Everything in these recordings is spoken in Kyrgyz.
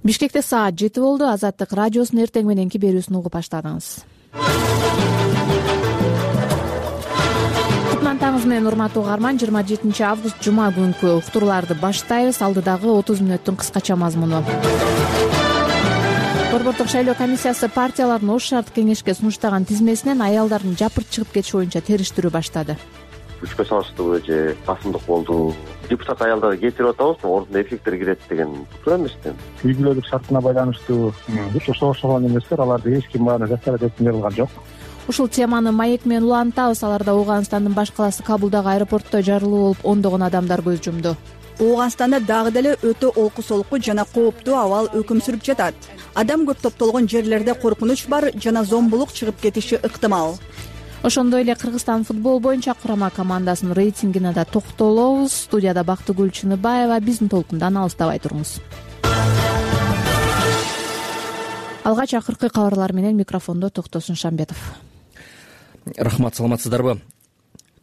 Бишкекте саат 7 болду. Азаттык радиосунун эртең мененки берүүсүн угуп баштадыңыз. Кутман таңыңыз менен урматтуу угарман. 27 август жума күнкү уктурууларды баштайбыз. Алдыдагы 30 мүнөттүн кыскача мазмуну. Борбордук шайлоо комиссиясы партиялардын ош шарттык кеңешке сунуштаган тизмесинен аялдардын жапырт чыгып кетиши боюнча териштирүү баштады. Күчкө салыштуу же басымдык болду. Депутат аялдарды кетирип атабыз, ордуна эркектер кирет деген туура эмеспи? Үй бүлөлүк шартына байланыштуу ошого эместер, аларды эч ким баарын жасап деп жарылган жок. Ушул теманы маек менен улантабыз. Аларда Ооганстандын баш калаасы Кабулдагы аэропортто жарылуу болуп, ондогон адамдар көз жумду. Ооганстанда дагы деле өтө олку солку жана кооптуу абал өкүм сүрүп жатат. Адам көп топтолгон жерлерде коркунуч бар жана зомбулук чыгып кетиши ыктымал. Ошондой эле Кыргызстан футбол боюнча курама командасынын рейтингине да токтолобуз. Студияда Бактыгүл Чыныбаева, биздин толкундан алыстабай туруңуз. Алгач акыркы кабарлар менен микрофондо Токтосун Шамбетов. Рахмат, саламатсыздарбы?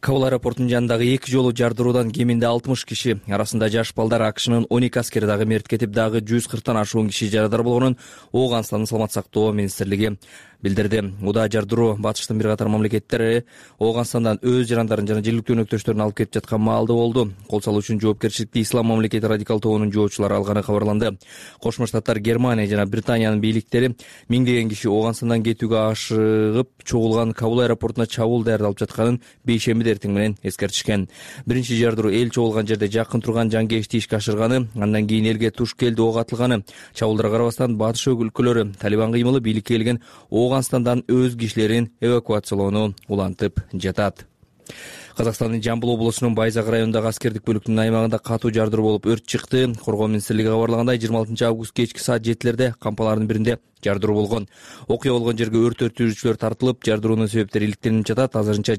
Кабул аэропортунун жанындагы 2 жолу жардыруудан кеминде 60 киши, арасында жаш балдар, АКШнын 12 аскери дагы мерт кетип, дагы 140тан ашуун киши жарадар болгонун Ооганстандын саламат сактоо министрлиги билдирди. Удаа жардыруу батыштын бир катар мамлекеттери Ооганстандан өз жарандарын жана жергиликтүү өнөктөштөрүн алып кетип жаткан маалда болду. Кол салуу үчүн жоопкерчиликти Ислам мамлекети радикал тобунун жоочулары алганы кабарланды. Кошмо Штаттар, Германия жана Британиянын бийликтери миңдеген киши Ооганстандан кетүүгө ашыгып чогулган Кабул аэропортуна чабуул даярдалып жатканын бейшемби эртең менен эскертишкен. Биринчи жардыруу эл чогулган жерде жакын турган жангеешти ишке ашырганы, андан кийин элге туш келди ок атылганы. Чабуулдарга карабастан батыш өлкөлөрү Талибан кыймылы бийликке келген Ооганстандан өз кишилерин эвакуациялоону улантып жатат. Казакстандын Жамбыл облусунун Байзак районундагы аскердик бөлүктүнүн аймагында катуу жардыруу болуп өрт чыкты. Коргоо министрлиги кабарлагандай, 26 август кечки саат 7-лерде кампалардын биринде жардыруу болгон. Окуя болгон жерге өрт өчүрүүчүлөр тартылып, жардыруунун себептери иликтелип жатат. Азырынча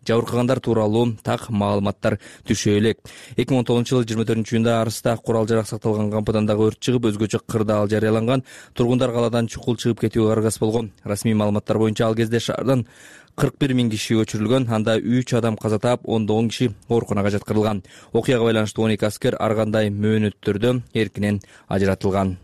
жабыркагандар тууралуу так маалыматтар түшө элек. 2010-жылы 24-июнда Арыста курал жарак сакталган кампадан дагы өрт чыгып, өзгөчө кырдаал жарыяланган. Тургундар калаадан чукул чыгып кетүүгө аргасыз болгон. Расмий маалыматтар боюнча ал кезде шаардан 41 миң киши көчүрүлгөн. Анда 3 адам каза таап, 10 киши ооруканага жаткырылган. Окуяга байланыштуу 12 аскер ар кандай мөөнөттөрдө эркинен ажыратылган.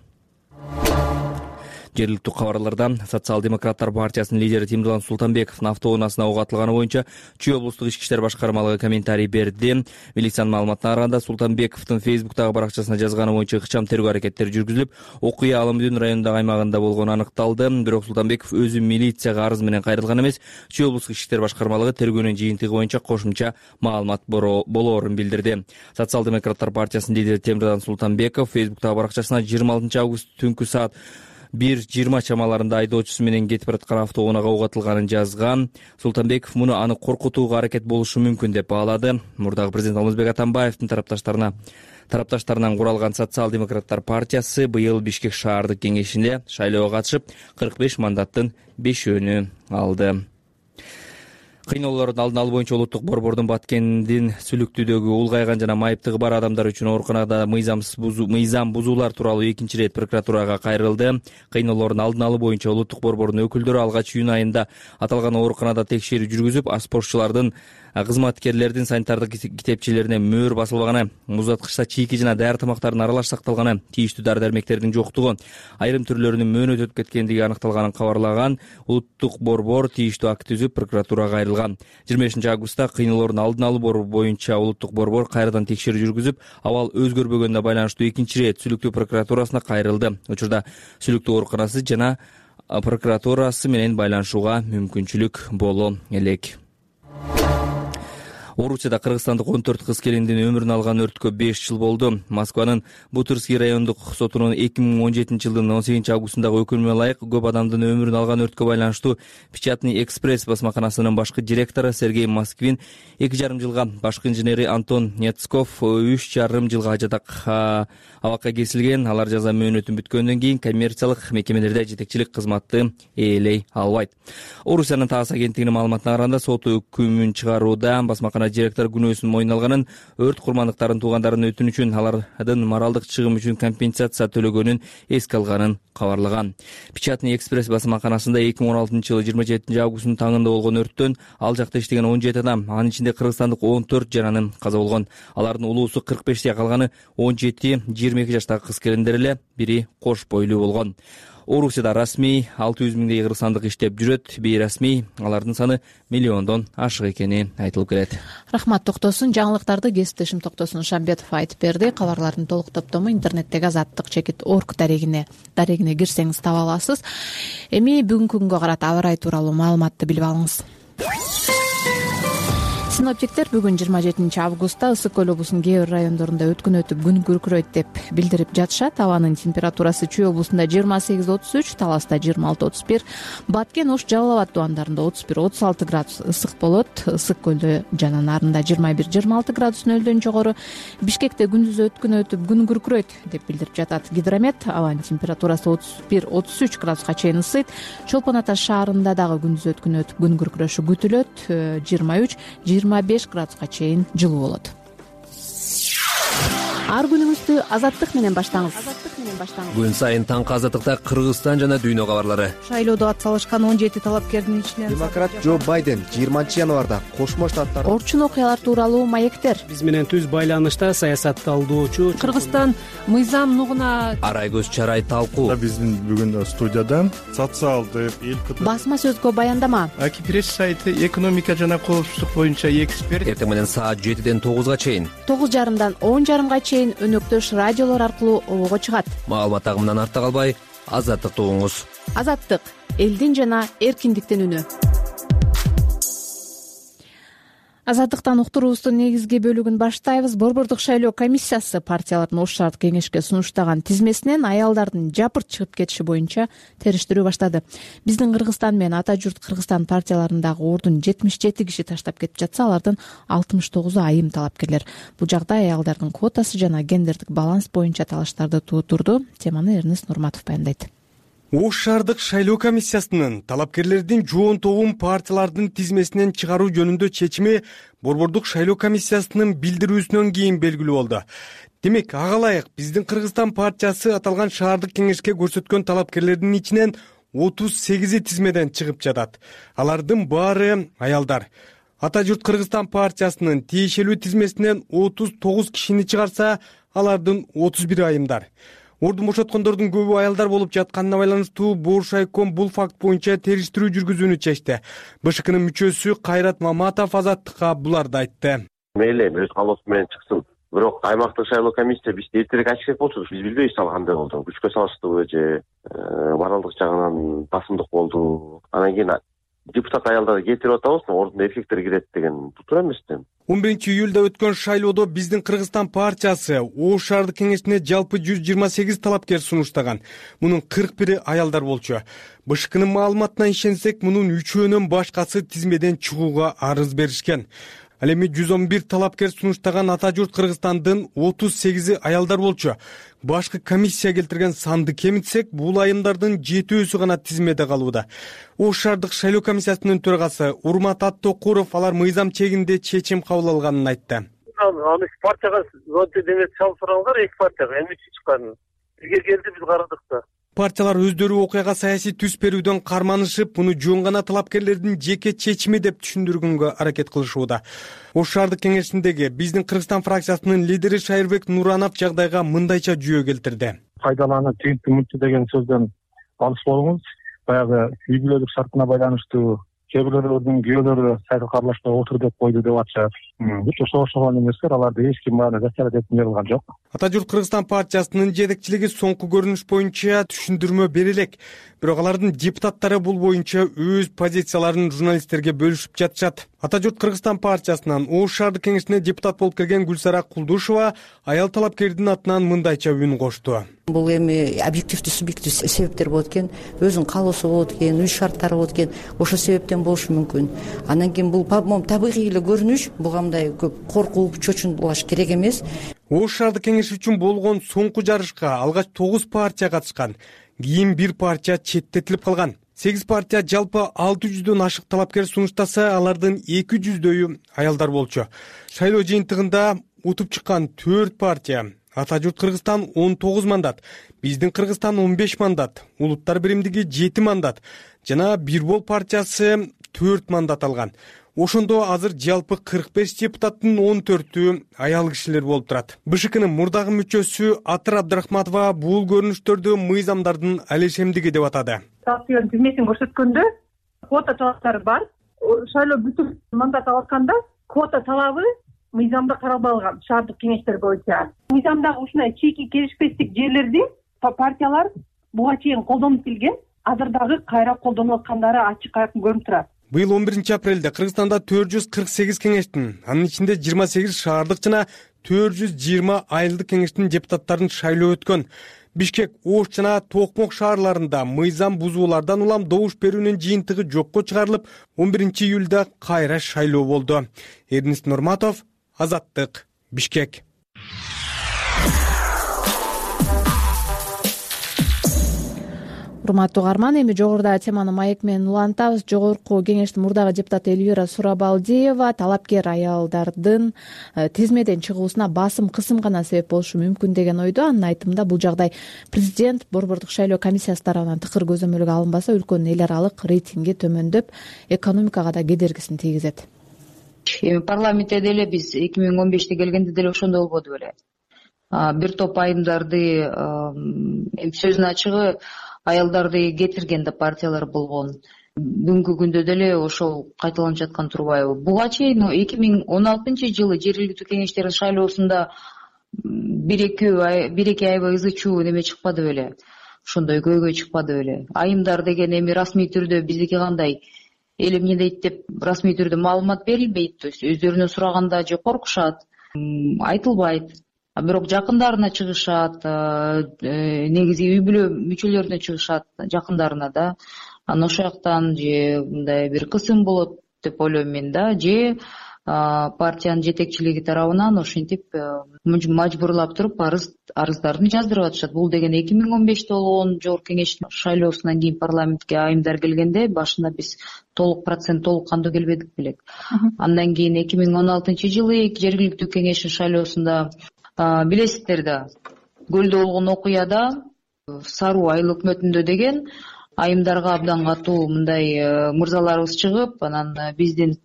Жергиликтүү кабарларда Социал-демократтар партиясынын лидери Тимирлан Султанбековдун автоунаасына ок атылганы боюнча Чүй облустук ички иштер башкармалыгы комментарий берди. Милициянын маалыматына караганда, Султанбековдун Фейсбуктагы баракчасына жазганы боюнча ыкчам тергөө аракеттери жүргүзүлүп, окуя Алымдын районундагы аймагында болгону аныкталды. Бирок Султанбеков өзү милицияга арыз менен кайрылган эмес. Чүй облустук ички иштер башкармалыгы тергөөнүн жыйынтыгы боюнча кошумча маалымат болоорун билдирди. Социал-демократтар партиясынын лидери Тимирлан Султанбеков Фейсбуктагы баракчасына 26 август түнкү саат 1:20 чамаларында айдоочусу менен кетип бараткан автоунаага ок атылганын жазган. Султанбеков муну аны коркутууга аракет болушу мүмкүн деп баалады. Мурдагы президент Алмазбек Атамбаевдин тарапташтарынан куралган Социал-демократтар партиясы быйыл Бишкек шаардык кеңешинде шайлоого катышып 45 мандаттын 5-өөнү алды. Кыйноолордун алдын алуу боюнча улуттук борбордун Баткендин сүлүктүүдөгү улгайган жана майыптыгы бар адамдар үчүн ооруканада мыйзам бузуулар тууралуу 2 ирет прокуратурага кайрылды. Кыйноолордун алдын алуу боюнча улуттук борбордун өкүлдөрү алгач июнь айында аталган ооруканада текшерүү жүргүзүп, аспортчулардын кызматкерлердин санитардык китепчелерине мөөр басылбаганы, муздаткычта чийки жана даяр тамактардын аралаш сакталганы, тийиштүү дары-дармектердин жоктугу, айрым түрлөрүнүн мөөнөт өтүп кеткендиги аныкталганын кабарлаган. Улуттук борбор тийиштүү акт түзүп, прокуратурага кайрылган. 25 августта кыйноолордун алдын алуу боюнча улуттук борбор кайрадан текшерүү жүргүзүп, абал өзгөрбөгөнүнө байланыштуу 2 ирет сүлүктүү прокуратурасына кайрылды. Учурда сүлүктүү ооруканасы жана прокуратурасы менен байланышууга мүмкүнчүлүк боло элек. Орусияда кыргызстандык 14 кыз келиндин өмүрүн алган өрткө 5 жыл болду. Москванын Бутырский райондук сотунун 2017 жылдын 18 августундагы өкүмүнө ылайык көп адамдын өмүрүн алган өрткө байланыштуу Печатный экспресс басмаканасынын башкы директору Сергей Москвин 2,5 жылга, башкы инженери Антон Нецков 3,5 жылга абакка кесилген. Алар жаза мөөнөтүн бүткөндөн кийин коммерциялык мекемелерде жетекчилик кызматты ээлей албайт. Орусиянын ТАСС агенттигинин маалыматына караганда, сот өкүмүн чыгарууда басмакана директор күнөөсүн мойнуна алганын, өрт курмандыктарынын туугандарынын өтүнүчүн, алардын моралдык чыгым үчүн компенсация төлөгөнүн эске алганын кабарлаган. Печатный экспресс басмаканасында 2016 жылы 27 августтун таңында болгон өрттөн ал жакта иштеген 17 адам, анын ичинде кыргызстандык 14 жананын каза болгон. Алардын улуусу 45те, калганы 17-22 жаштагы кыз-келиндер эле, бири кош бойлуу болгон. Орусияда расмий 600 миңдей кыргызстандык иштеп жүрөт, бейрасмий алардын саны миллиондон ашык экени айтылып келет. Рахмат Токтосун. Жаңылыктарды кесиптешим Токтосун Шамбетов айтып берди. Кабарлардын толук топтому интернеттеги azattik.org дарегине кирсеңиз таба аласыз. Эми бүгүнкү күнгө карата аба ырайы тууралуу маалыматты билип алыңыз. Синоптиктер бүгүн 27 августта Ысык көл облусунун кээ бир райондорунда өткүн өтүп күн күркүрөйт деп билдирип жатышат. Абанын температурасы Чүй облусунда 28-33, Таласта 26-31, Баткен, Ош, Жалал Абад тубандарында 31-36 градус ысык болот. Ысык көлдө жана нарында 21-26 градус нөлдөн жогору. Бишкекте күндүз өткүн өтүп күн күркүрөйт деп билдирип жатат Гидромет. Абанын температурасы 31-33 градуска чейин ысыйт. Чолпон Ата шаарында дагы күндүз өткүн өтүп күн күркүрөшү күтүлөт. 23-25 градуска чейин жылуу болот. Ар күнүңүздү азаттык менен баштаңыз. Күн сайын таңкы азаттыкта Кыргызстан жана дүйнө кабарлары. Шайлоодо атсалышкан 17 талапкердин ичинен демократ Джо Байден 20 январда Кошмо Штаттар Орчун окуялар тууралуу маектер. Биз менен түз байланышта саясатталдоочу Кыргызстан мыйзам нугуна арай көз чарай талкуу. Биздин бүгүн студиядан социалдык басма сөзгө баяндама. Акипресс сайты экономика жана коопсуздук боюнча эксперт. Эртең менен саат 7ден 9га чейин, 9:30дан 10:30га чейин өнөктөш радиолор аркылуу обого чыгат. Маалымат агымынан артта калбай, азаттыкты угуңуз. Азаттык — элдин жана эркиндиктин үнү. Азаттыктан уктуруубуздун негизги бөлүгүн баштайбыз. Борбордук шайлоо комиссиясы партиялардын Ош шаардык кеңешке сунуштаган тизмесинен аялдардын жапырт чыгып кетиши боюнча териштирүү баштады. Биздин Кыргызстан менен Ата журт Кыргызстан партияларындагы ордун 77 киши таштап кетип жатса, алардын 69-у айым талапкерлер. Бул жагдай аялдардын квотасы жана гендердик баланс боюнча талаштарды туудурду. Теманы Эрнест Нурматов баяндайт. Ош шаардык шайлоо комиссиясынын талапкерлердин жоон тобун партиялардын тизмесинен чыгаруу жөнүндө чечими Борбордук шайлоо комиссиясынын билдирүүсүнөн кийин белгилүү болду. Демек, ага ылайык биздин Кыргызстан партиясы аталган шаардык кеңешке көрсөткөн талапкерлердин ичинен 38 тизмеден чыгып жатат. Алардын баары аялдар. Ата журт Кыргызстан партиясынын тиешелүү тизмесинен 39 кишини чыгарса, алардын 31 айымдар. Ордун бошоткондордун көбү аялдар болуп жатканына байланыштуу Бош айком бул факт боюнча териштирүү жүргүзүүнү чечти. БШКнын мүчөсү Кайрат Маматов азаттыкка буларды айтты. Мейли өз калоосу менен чыксын. Бирок аймактык шайлоо комиссия бизди эртерээк ачык керек болчу. Биз билбейбиз ал кандай болду. Күчкө салыштыбы же моралдык жагынан басымдык болду. Анан кийин депутат аялдарды кетирип атабыз, ордуна эркектер кирет деген туура эмеспи? 11-июлда өткөн шайлоодо биздин Кыргызстан партиясы Ош шаардык кеңешине жалпы 128 талапкер сунуштаган. Мунун 41-и аялдар болчу. БШКнын маалыматына ишенсек, мунун 3өөнөн башкасы тизмеден чыгууга арыз беришкен. Ал эми 111 талапкер сунуштаган Ата журт Кыргызстандын 38-и аялдар болчу. Башкы комиссия келтирген санды кемитсек, бул айымдардын 7-өсү гана тизмеде калууда. Ош шаардык шайлоо комиссиясынын төрагасы Урмат Аттокуров алар мыйзам чегинде чечим кабыл алганын айтты. Аны партияга демек чалып сураңдар, эки партияга эми чыккан. Бизге келди, биз карадык да. Партиялар өздөрү окуяга саясий түс берүүдөн карманышып, муну жөн гана талапкерлердин жеке чечими деп түшүндүргөнгө аракет кылышууда. Ош шаардык кеңешиндеги биздин Кыргызстан фракциясынын лидери Шайырбек Нуранов жагдайга мындайча жүйө келтирди. Пайдаланып тигинти мынча деген сөздөн алыс болуңуз. Баягы үй бүлөлүк шартына байланыштуу кээ бирлердин күйөөлөрү сайтка аралашпай отур деп койду деп атышат. Ошого эместер, аларды эч ким баары жасалат деп берилген жок. Ата журт Кыргызстан партиясынын жетекчилиги соңку көрүнүш боюнча түшүндүрмө бере элек. Бирок алардын депутаттары бул боюнча өз позицияларын журналисттерге бөлүшүп жатышат. Ата журт Кыргызстан партиясынан Ош шаардык кеңешине депутат болуп келген Гүлсара Кулдушева аял талапкердин атынан мындайча үн кошту. Бул эми объективдүү субъективдүү себептер болот экен, өзүнүн каалоосу болот экен, үй шарттары болот экен, ошол себептен болушу мүмкүн. Андан кийин бул табигый эле көрүнүш, буга мындай көп коркуп чочунулаш керек эмес. Ош шаардык кеңеши үчүн болгон соңку жарышка алгач 9 партия катышкан. Кийин бир партия четтетилип калган. 8 партия жалпы 600дөн ашык талапкер сунуштаса, алардын 200дөйү аялдар болчу. Шайлоо жыйынтыгында утуп чыккан 4 партия: Ата журт Кыргызстан 19 мандат, Биздин Кыргызстан 15 мандат, Улуттар биримдиги 7 мандат жана Бир бол партиясы 4 мандат алган. Ошондо азыр жалпы 45 депутаттын 14-ü аял кишилер болуп турат. БШКнын мурдагы мүчөсү Атыр Абдрахматова бул көрүнүштөрдү мыйзамдардын алешемдиги деп атады. Партиянын тизмесин көрсөткөндө квота талаптары бар. Шайлоо бүтүп мандат алганда квота талабы мыйзамда каралбаган шаардык кеңештер боюнча. Мыйзамдагы ушундай чийки келишпестик жерлерди партиялар буга чейин колдонуп келген, азыр дагы кайра колдонуп аткандары ачык айкын көрүнүп турат. Быйыл 11 апрелде Кыргызстанда 448 кеңештин, анын ичинде 28 шаардык жана 420 айылдык кеңештин депутаттарын шайлоо өткөн. Бишкек, Ош жана Токмок шаарларында мыйзам бузуулардан улам добуш берүүнүн жыйынтыгы жокко чыгарылып, 11 июлда кайра шайлоо болду. Эрнис Нурматов, Азаттык, Бишкек. Урматтуу угарман, эми жогоруда теманы маек менен улантабыз. Жогорку кеңештин мурдагы депутаты Эльвира Сурабалдиева талапкер аялдардын тизмеден чыгуусуна басым кысым гана себеп болушу мүмкүн деген ойдо. Анын айтымында бул жагдай президент Борбордук шайлоо комиссиясы тарабынан тыкыр көзөмөлгө алынбаса, өлкөнүн эл аралык рейтинги төмөндөп, экономикага да кедергисин тийгизет. Эми парламентте деле биз 2015-те келгенде деле ошондой болбоду беле. Бир топ айымдарды сөзүнүн ачыгы аялдарды кетирген да партиялар болгон. Бүгүнкү күндө деле ошол кайталанып жаткан турбайбы? Буга чейин 2016-жылы жергиликтүү кеңештердин шайлоосунда бир-эки аябай ызы чуу неме чыкпады беле? Ошондой көйгөй чыкпады беле? Айымдар деген эми расмий түрдө биздики кандай? Эл эмне дейт деп расмий түрдө маалымат берилбейт, то есть өздөрүнө сураганда же коркушат, айтылбайт. Бирок жакындарына чыгышат, негизи үй бүлө мүчөлөрүнө чыгышат, жакындарына да. Анан ошол жактан же мындай бир кысым болот деп ойлойм мен да, же партиянын жетекчилиги тарабынан ошентип мажбурлап туруп арыздарын жаздырып атышат. Бул деген 2015-те болгон жогорку кеңештин шайлоосунан кийин парламентке айымдар келгенде башында биз толук кандуу келбедик белек. Андан кийин 2016-жылы жергиликтүү кеңештин шайлоосунда билесиздер да, Көлдө болгон окуяда Саруу айыл өкмөтүндө деген айымдарга абдан катуу мындай мырзаларыбыз чыгып, анан биздин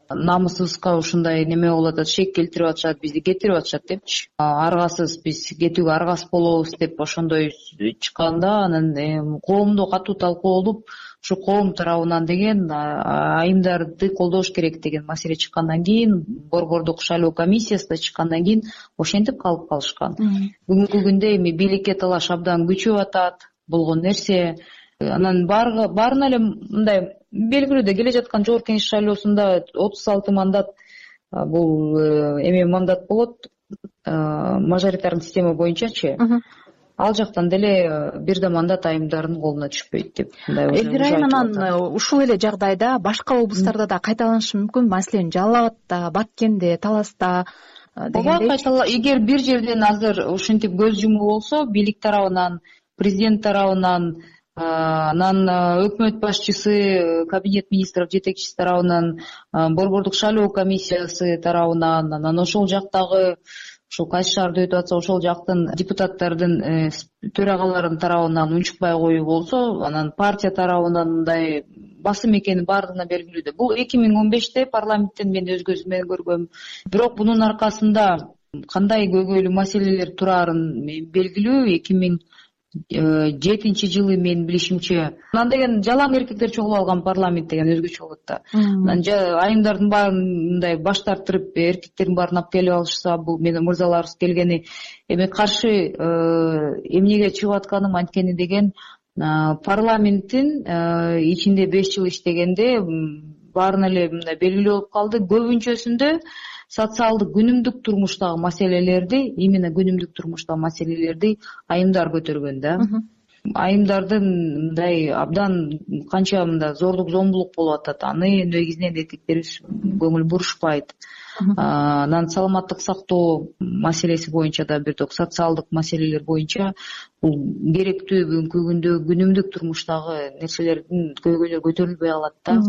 намысыбызга ушундай неме болуп атат, шек келтирип атышат, бизди кетирип атышат депчи. Аргасыз, биз кетүүгө аргасыз болобуз деп ошондой чыкканда, анан коомдо катуу талкуу болуп, ушу коом тарабынан деген айымдарды колдош керек деген маселе чыккандан кийин, Борбордук шайлоо комиссиясында чыккандан кийин ошентип калып калышкан. Бүгүнкү күндө эми бийликке талаш абдан күчөп атат болгон нерсе. Анан баарына эле мындай белгилүү да, келе жаткан жогорку кеңеш шайлоосунда 36 мандат, бул эме мандат болот, мажоритарный система боюнчачы. Ал жактан деле бир да мандат айымдардын колуна түшпөйт деп. Эльвира айым, анан ушул эле жагдайда башка облустарда да кайталанышы мүмкүн, маселен Жалал Абадта, Баткенде, Таласта дегендей. Эгер бир жерден азыр ушинтип көз жумуу болсо, бийлик тарабынан, президент тарабынан, анан өкмөт башчысы, кабинет министров жетекчиси тарабынан, Борбордук шайлоо комиссиясы тарабынан, анан ошол жактагы ушул кайсы шаарда өтүп атса ошол жактын депутаттардын төрагаларынын тарабынан унчукпай коюу болсо, анан партия тарабынан мындай басым экени баардыгына белгилүү да. Бул 2015-те парламенттен мен өз көзүм менен көргөм. Бирок бунун аркасында кандай көйгөйлүү маселелер турарын белгилүү. 2007-жылы мен билишимче, анан деген жалаң эркектер чогулуп алган парламент деген өзгөчө болот да. Анан айымдардын баарын мындай баш тартырып, эркектердин баарын алып келип алышса, бул менин мырзаларыбыз келгени эми каршы эмнеге чыгып атканым анткени деген парламенттин ичинде 5 жыл иштегенде баарына эле мындай белгилүү болуп калды. Көбүнчөсүндө социалдык күнүмдүк турмуштагы маселелерди, именно күнүмдүк турмуштагы маселелерди айымдар көтөргөн да. Айымдардын мындай абдан канча мындай зордук зомбулук болуп атат, аны негизинен эркектерибиз көңүл бурушпайт. Анан саламаттык сактоо маселеси боюнча да бир топ социалдык маселелер боюнча бул керектүү бүгүнкү күндө күнүмдүк турмуштагы нерселердин көйгөйлөрү көтөрүлбөй калат да.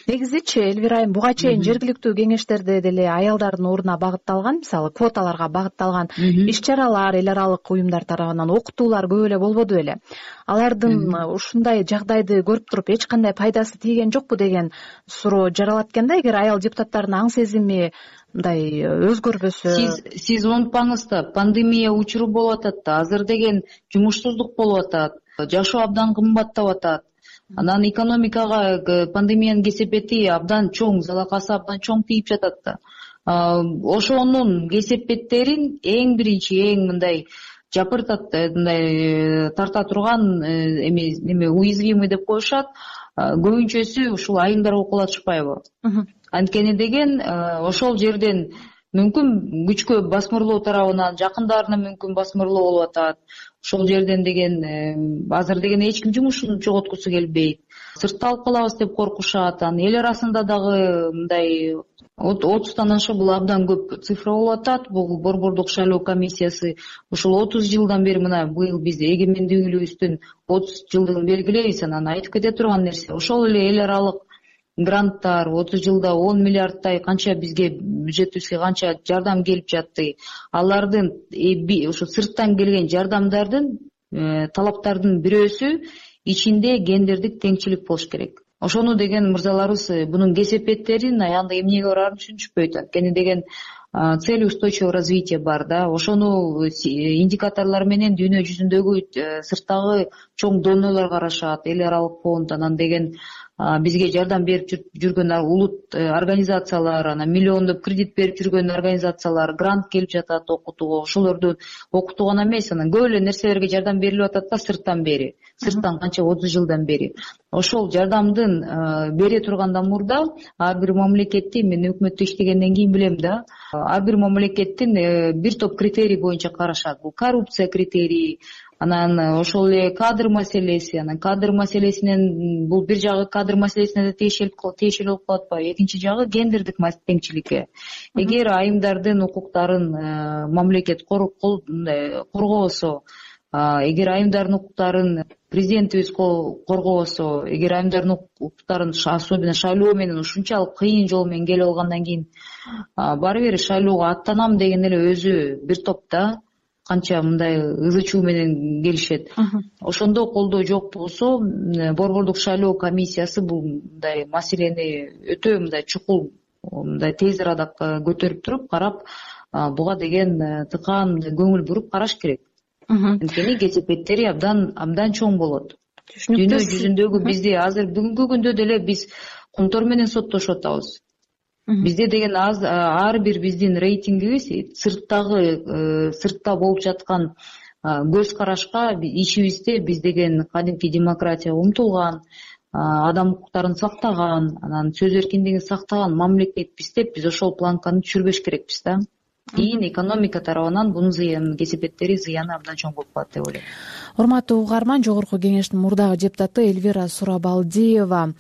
Негизичи Элвира айым буга чейин жергиликтүү кеңештерде деле аялдардын ордуна багытталган, мисалы квоталарга багытталган иш чаралар эл аралык уюмдар тарабынан окутуулар көп эле болбоду беле? Алардын ушундай жагдайды көрүп туруп эч кандай пайдасы тийген жокпу деген суроо жаралат экен да. Эгер аял депутаттардын аң сезими мындай өзгөрбөсө. Сиз унутпаңыз да, пандемия учуру болуп атат да, азыр деген жумушсуздук болуп атат, жашоо абдан кымбаттап атат. Анан экономикага пандемиянын кесепети абдан чоң, залакасы абдан чоң тийип жатат да. Ошонун кесепеттерин эң биринчи, эң мындай жапыртат, мындай тарта турган неме уязвимый деп коюшат. Көбүнчөсү ушул айымдар окулатышпайбы? Анткени деген ошол жерден мүмкүн күчкө басмырлоо тарабынан жакындарына мүмкүн басмырлоо болуп атат. Ошол жерден деген азыр деген эч ким жумушун жоготкусу келбейт. Сыртта алып калабыз деп коркушат. Анан эл арасында дагы мындай 30тан ашык бул абдан көп цифра болуп атат. Бул Борбордук шайлоо комиссиясы ушул 30 жылдан бери мына быйыл биз эгемендүүлүгүбүздүн 30 жылдыгын белгилейбиз. Анан айтып кете турган нерсе ошол эле эл аралык гранттар 30 жылда 10 миллиардтай канча бизге бюджетибизге канча жардам келип жатты. Алардын ушу сырттан келген жардамдардын талаптардын бирөөсү ичинде гендердик теңчилик болуш керек. Ошону деген мырзаларыбыз бунун кесепеттерин аянда эмнеге барарын түшүнүшпөйт. Анткени деген цель устойчивого развития бар да. Ошону индикаторлор менен дүйнө жүзүндөгү сырттагы чоң донорлор карашат, эл аралык фонд, анан деген бизге жардам берип жүргөн улут организациялар, анан миллиондоп кредит берип жүргөн организациялар, грант келип жатат окутууга. Ошолорду окутуу гана эмес, анан көп эле нерселерге жардам берилип атат да сырттан бери. Сырттан канча 30 жылдан бери. Ошол жардамдын бере тургандан мурда ар бир мамлекеттин, мен өкмөттө иштегенден кийин билем да, ар бир мамлекеттин бир топ критерий боюнча карашат. Бул коррупция критерии, анан ошол эле кадр маселеси, анан кадр маселесинен бул бир жагы кадр маселесине да тиешелүү болуп калат атпайбы? Экинчи жагы гендердик теңчиликке. Эгер айымдардын укуктарын мамлекет коргобосо, эгер айымдардын укуктарын президентибиз коргобосо, эгер айымдардын укуктарын особенно шайлоо менен ушунчалык кыйын жол менен келип алгандан кийин баары бир шайлоого аттанам деген эле өзү бир топ да канча мындай ызы чуу менен келишет. Ошондо колдоо жок болсо, Борбордук шайлоо комиссиясы бул мындай маселени өтө мындай чукул, мындай тез арада көтөрүп туруп карап, буга деген тыкаан көңүл буруп караш керек. Анткени кесепеттери абдан чоң болот. Дүйнө жүзүндөгү бизди азыр бүгүнкү күндө деле биз кумтор менен соттошуп атабыз. Бизде деген ар бир биздин рейтингибиз сыртта болуп жаткан көз карашка ичибизде биз деген кадимки демократияга умтулган, адам укуктарын сактаган, анан сөз эркиндигин сактаган мамлекетпиз деп биз ошол планканы түшүрбөш керекпиз да. Кийин экономика тарабынан бунун кесепеттери зыяны абдан чоң болуп калат деп ойлойм. Урматтуу угарман, Жогорку кеңештин мурдагы депутаты Элвира Сурабалдиева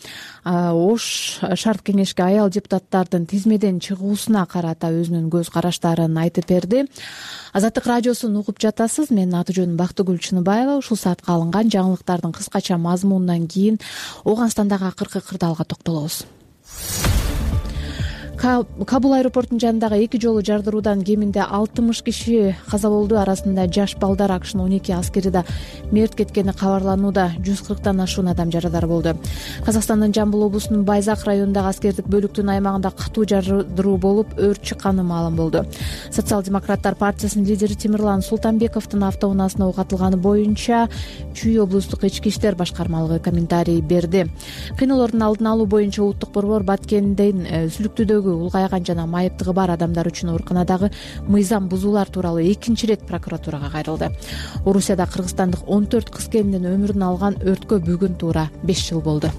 Ош шарт кеңешке аял депутаттардын тизмеден чыгуусуна карата өзүнүн көз караштарын айтып берди. Азаттык радиосун угуп жатасыз. Менин аты жөнүм Бактыгүл Чыныбаева. Ушул саатка алынган жаңылыктардын кыскача мазмунунан кийин Ооганстандагы акыркы кырдаалга токтолобуз. Кабул аэропортунун жанындагы 2 жолу жардыруудан кеминде 60 киши каза болду. Арасында жаш балдар, АКШнын 12 аскери да мерт кеткени кабарланууда. 140тан ашуун адам жарадар болду. Казакстандын Жамбыл облусунун Байзак районундагы аскердик бөлүктүн аймагында катуу жардыруу болуп, өрт чыкканы маалым болду. Социал-демократтар партиясынын лидери Темирлан Султанбековдун автоунаасына ок атылганы боюнча Чүй облустук ички иштер башкармалыгы комментарий берди. Кыйноолордун алдын алуу боюнча улуттук борбор Баткенден сүлүктүүдөгү улгайган жана майыптыгы бар адамдар үчүн ооруканадагы мыйзам бузуулар тууралуу 2 ирет прокуратурага кайрылды. Орусияда кыргызстандык 14 кыз келиндин өмүрүн алган өрткө бүгүн туура 5 жыл болду.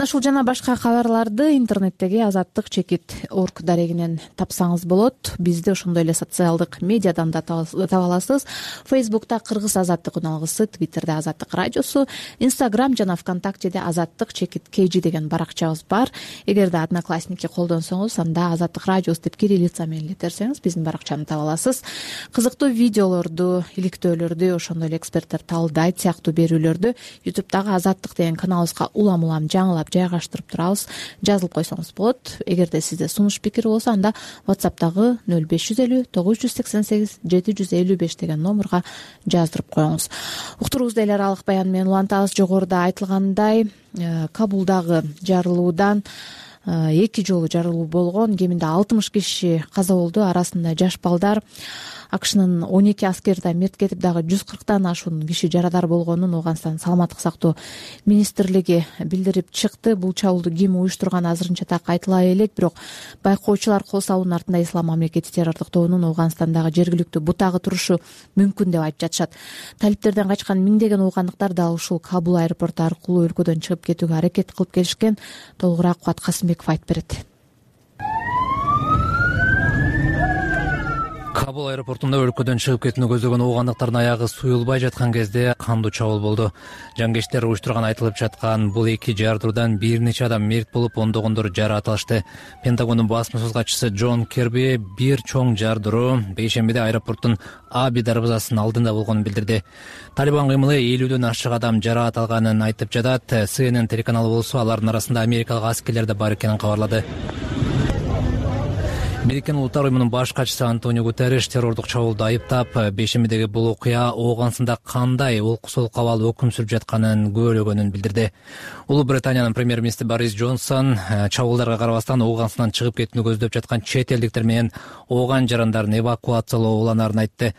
мына ушул жана башка кабарларды интернеттеги azattik.org дарегинен тапсаңыз болот. Бизди ошондой эле социалдык медиадан да таба аласыз. Фейсбукта Кыргыз азаттык үналгысы, Твиттерде Азаттык радиосу, Инстаграм жана ВКонтактеде azattik.kg деген баракчабыз бар. Эгерде Одноклассники колдонсоңуз, анда Азаттык радиосу деп кириллица менен илетерсеңиз биздин баракчаны таба аласыз. Кызыктуу видеолорду, иликтөөлөрдү, ошондой эле эксперттер талдайт сыяктуу берүүлөрдү YouTube'дагы Азаттык деген каналыбызга улам жаңылап жайгаштырып турабыз. Жазылып койсоңуз болот. Эгерде сизде сунуш пикир болсо, анда WhatsApp'тагы 0550 988 755 деген номурга жаздырып коюңуз. Уктуруубузда эл аралык баян менен улантабыз. Жогоруда айтылгандай, Кабулдагы жарылуудан 2 жолу жарылуу болгон. Кеминде 60 киши каза болду, арасында жаш балдар. АКШнын 12 аскери да мерт кетип, дагы 140 ашуун киши жарадар болгонун Ооганстан саламаттык сактоо министрлиги билдирип чыкты. Бул чабуулду ким уюштурганы азырынча так айтыла элек, бирок байкоочулар кол салуунун артында Ислам мамлекети террордук тобунун Ооганстандагы жергиликтүү бутагы турушу мүмкүн деп айтып жатышат. Талиптерден качкан миңдеген ооганлыктар дал ушул Кабул аэропорту аркылуу өлкөдөн чыгып кетүүгө аракет кылып келишкен. Толугураак Кубат Касымбеков айтып берет. Кабул аэропортунда өлкөдөн чыгып кетүүнү көздөгөн ооганлыктардын аягы суюлбай жаткан кезде кандуу чабуул болду. Жангечтер уюштурган айтылып жаткан бул эки жардыруудан бир нече адам мерт болуп, ондогондор жаракат алышты. Пентагондун басма катчысы Джон Керби бир чоң жардыруу бейшембиде аэропорттун Аби дарбазасынын алдында болгонун билдирди. Талибан кыймылы 50дөн ашык адам жаракат алганын айтып жатат. CNN телеканалы болсо алардын арасында америкалык аскерлер да бар экенин кабарлады. Мерекенин улуттар уюмунун баш катчысы Антонио Гутерриш террордук чабуулду айыптап, бейшембидеги бул окуя Ооганстанда кандай олкусол кабал өкүм сүрүп жатканын күбөлөгөнүн билдирди. Улуу Британиянын премьер-министри Борис Джонсон чабуулдарга карабастан Ооганстандан чыгып кетүүнү көздөп жаткан чет элдиктер менен ооган жарандарын эвакуациялоо уланаарын айтты.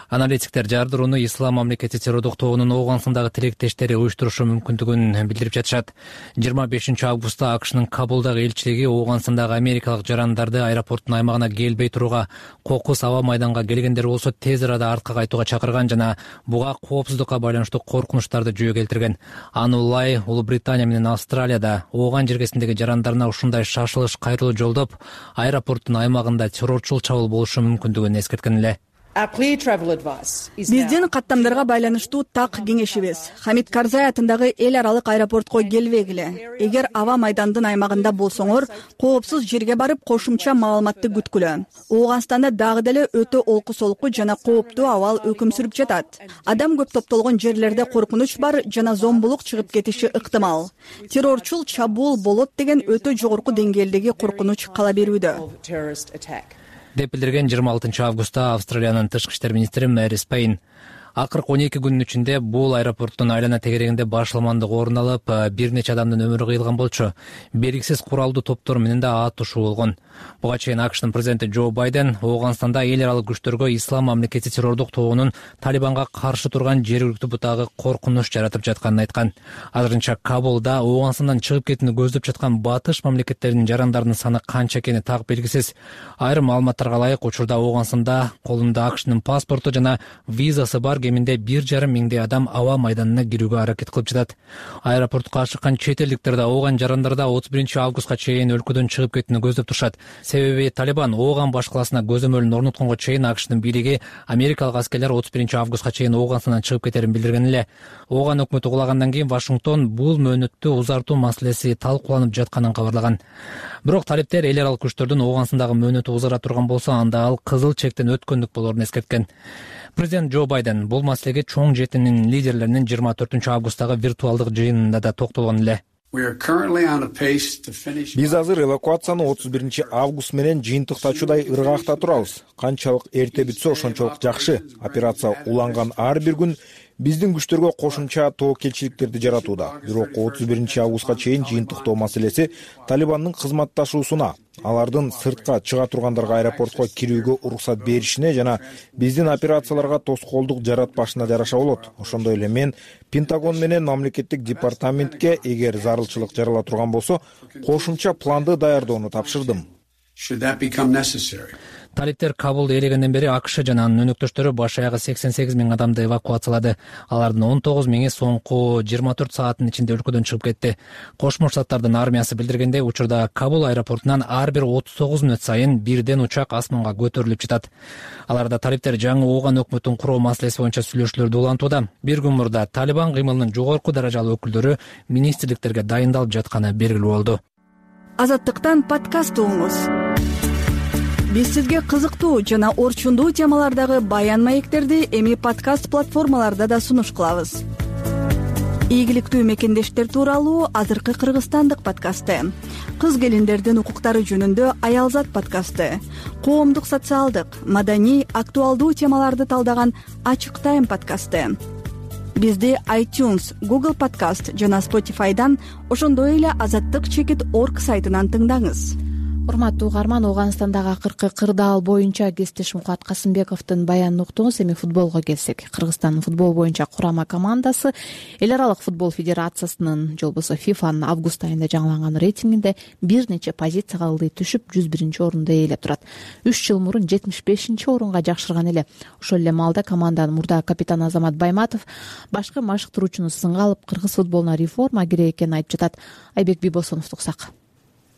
Аналитиктер жардырууну Ислам мамлекети террордук тобунун Ооганстандагы тилектештери уюштурушу мүмкүндүгүн билдирип жатышат. 25 августта АКШнын Кабулдагы элчилиги Ооганстандагы америкалык жарандарды аэропорттун аймагына келбей турууга, кокус аба майданга келгендер болсо тез арада артка кайтууга чакырган жана буга коопсуздукка байланыштуу коркунучтарды жөө келтирген. Аны улай Улуу Британия менен Австралияда ооган жергесиндеги жарандарына ушундай шашылыш кайрылуу жолдоп, аэропорттун аймагында террорчул чабуул болушу мүмкүндүгүн эскерткен эле. Биздин каттамдарга байланыштуу так кеңешибиз: Хамид Карзай атындагы эл аралык аэропортко келбегиле. Эгер аба майдандын аймагында болсоңор, коопсуз жерге барып кошумча маалыматты күткүлө. Ооганстанда дагы деле өтө олку-солку жана кооптуу абал өкүм сүрүп жатат. Адам көп топтолгон жерлерде коркунуч бар жана зомбулук чыгып кетиши ыктымал. Террорчул чабуул болот деген өтө жогорку деңгээлдеги коркунуч кала берүүдө, деп билдирген 26 августта Австралиянын тышкы иштер министри Мэри Спейн. Акыркы 12 күнүн ичинде бул аэропорттун айлана тегерегинде башаламандык орун алып, бир нече адамдын өмүрү кыйылган болчу. Белгисиз куралдуу топтор менен да атышуу болгон. Буга чейин АКШнын президенти Джо Байден Ооганстанда эл аралык күчтөргө Ислам мамлекети террордук тобунун Талибанга каршы турган жергиликтүү бутагы коркунуч жаратып жатканын айткан. Азырынча Кабулда Ооганстандан чыгып кетүүнү көздөп жаткан батыш мамлекеттеринин жарандарынын саны канча экени так белгисиз. Айрым маалыматтарга ылайык, учурда Ооганстанда колунда АКШнын паспорту жана визасы бар кеминде 1,5 миңдей адам аба майданына кирүүгө аракет кылып жатат. Аэропортко ашыккан чет элдиктер да ооган жарандар да 31 августка чейин өлкөдөн чыгып кетүүнү көздөп турушат. Себеби Талибан Ооган башкаласына көзөмөлүн орнотконго чейин АКШнын бийлиги америкалык аскерлер 31 августка чейин Ооганстандан чыгып кетерин билдирген эле. Ооган өкмөтү кулагандан кийин Вашингтон бул мөөнөттү узартуу маселеси талкууланып жатканын кабарлаган. Бирок талиптер эл аралык күчтөрдүн Ооганстандагы мөөнөтү узара турган болсо, анда ал кызыл чектен өткөндүк болоорун эскерткен. Президент Джо Байден бул маселеге чоң жетинин лидерлеринин 24 августтагы виртуалдык жыйынында да токтолгон эле. Биз азыр эвакуацияны 31 август менен жыйынтыктачудай ыргакта турабыз. Канчалык эрте бүтсө ошончолук жакшы. Операция уланган ар бир күн биздин күчтөргө кошумча тобокелчиликтерди жаратууда. Бирок 31 августка чейин жыйынтыктоо маселеси Талибандын кызматташуусуна, алардын сыртка чыга тургандарга аэропортко кирүүгө уруксат беришине жана биздин операцияларга тоскоолдук жаратпашына жараша болот. Ошондой эле мен Пентагон менен мамлекеттик департаментке эгер зарылчылык жарала турган болсо, кошумча планды даярдоону тапшырдым. талиптер Кабулду ээлегенден бери АКШ жана анын өнөктөштөрү баш аягы 88 000 адамды эвакуациялады. Алардын 19 000 соңку 24 сааттын ичинде өлкөдөн чыгып кетти. Кошмо Штаттардын армиясы билдиргендей, учурда Кабул аэропортунан ар бир 39 мүнөт сайын бирден учак асманга көтөрүлүп жатат. Аларда талиптер жаңы Ооган өкмөтүн куруу маселеси боюнча сүйлөшүүлөрдү улантууда. Бир күн мурда Талибан кыймылынын жогорку даражалуу өкүлдөрү министрликтерге дайындалып жатканы белгилүү болду. Азаттыктан подкаст угуңуз. Биз сизге кызыктуу жана орчундуу темалардагы баян маектерди эми подкаст платформаларда да сунуш кылабыз. Ийгиликтүү мекендештер тууралуу азыркы кыргызстандык подкасты, кыз келиндердин укуктары жөнүндө Аялзат подкасты, коомдук социалдык, маданий, актуалдуу темаларды талдаган Ачык Тайм подкасты. Бизди iTunes, Google Podcast жана Spotify'дан, ошондой эле azattik.org сайтынан тыңдаңыз. Урматтуу угарман, Ооганстандагы акыркы кырдаал боюнча кесиптеш Мукат Касымбековдун баянын уктуңуз. Эми футболго келсек, Кыргызстандын футбол боюнча курама командасы Эл аралык футбол федерациясынын же болбосо ФИФАнын август айында жаңыланган рейтингинде бир нече позицияга ылдый түшүп 101 орунду ээлеп турат. 3 жыл мурун 75 орунга жакшырган эле. Ошол эле маалда команданын мурда капитаны Азамат Байматов башкы машыктыруучуну сынга алып, кыргыз футболуна реформа керек экенин айтып жатат. Айбек Бибосоновду уксак.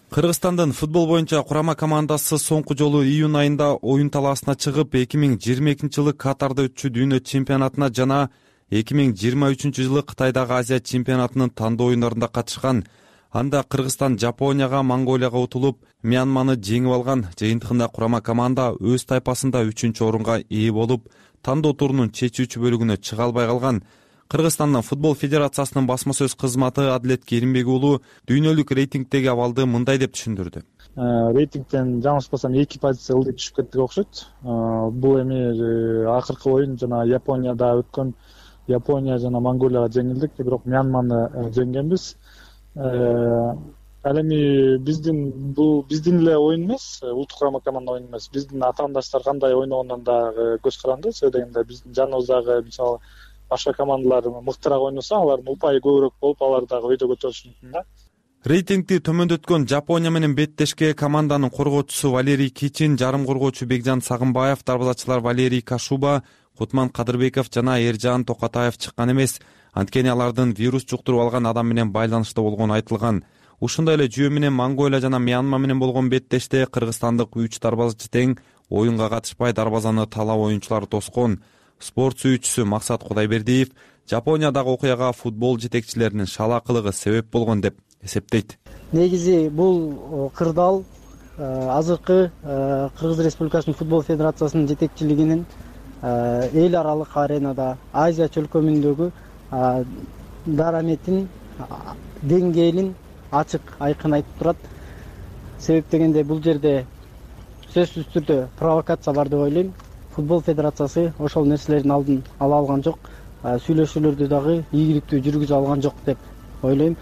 Кыргызстандын футбол боюнча курама командасы соңку жолу июнь айында оюн талаасына чыгып, 2022 жылы Катарда өтчү дүйнө чемпионатына жана 2023 жылы Кытайдагы Азия чемпионатынын тандоо оюндарында катышкан. Анда Кыргызстан Жапонияга, Монголияга утулуп, Мьянманы жеңип алган. Жыйынтыгында курама команда өз тайпасында 3-орунга ээ болуп, тандоо турунун чечүүчү бөлүгүнө чыга албай калган. Кыргызстандын футбол федерациясынын басма сөз кызматы Адилет Керимбек уулу дүйнөлүк рейтингдеги абалды мындай деп түшүндүрдү. Рейтингден жаңылышпасам 2 позиция ылдый түшүп кеттик окшойт. Бул эми акыркы оюн жана Японияда өткөн, Япония жана Монголияга жеңилдик, бирок Мьянманы жеңгенбиз. Ал эми биздин эле оюн эмес, улуттук курама команда оюн эмес. Биздин атаандаштар кандай ойногондон дагы көз каранды. Себеби дегенде биздин жаныбыздагы мисалы башка командалар мыктыраак ойносо, алардын упайы көбүрөөк болуп, алар дагы өйдө көтөрүшү мүмкүн да. Рейтингди төмөндөткөн Жапония менен беттешке команданын коргоочусу Валерий Кичин, жарым коргоочу Бекжан Сагынбаев, дарбазачылар Валерий Кашуба, Кутман Кадырбеков жана Эржан Токатаев чыккан эмес. Анткени алардын вирус жуктуруп алган адам менен байланышта болгону айтылган. Ушундай эле жүйө менен Монголия жана Мьянма менен болгон беттеште кыргызстандык 3 дарбазачы тең оюнга катышпай дарбазаны талап оюнчулары тоскон. Спорт сүйүүчүсү Максат Кудайбердиев Жапониядагы окуяга футбол жетекчилеринин шалаакылыгы себеп болгон деп эсептейт. Негизи бул кырдаал азыркы Кыргыз Республикасынын футбол федерациясынын жетекчилигинин эл аралык аренада Азия чөлкөмүндөгү дараметин деңгээлин ачык айкын айтып турат. Себеп дегенде бул жерде сөзсүз түрдө провокация бар деп ойлойм. Футбол федерациясы ошол нерселердин алдын ала алган жок, сүйлөшүүлөрдү дагы ийгиликтүү жүргүзө алган жок деп ойлойм.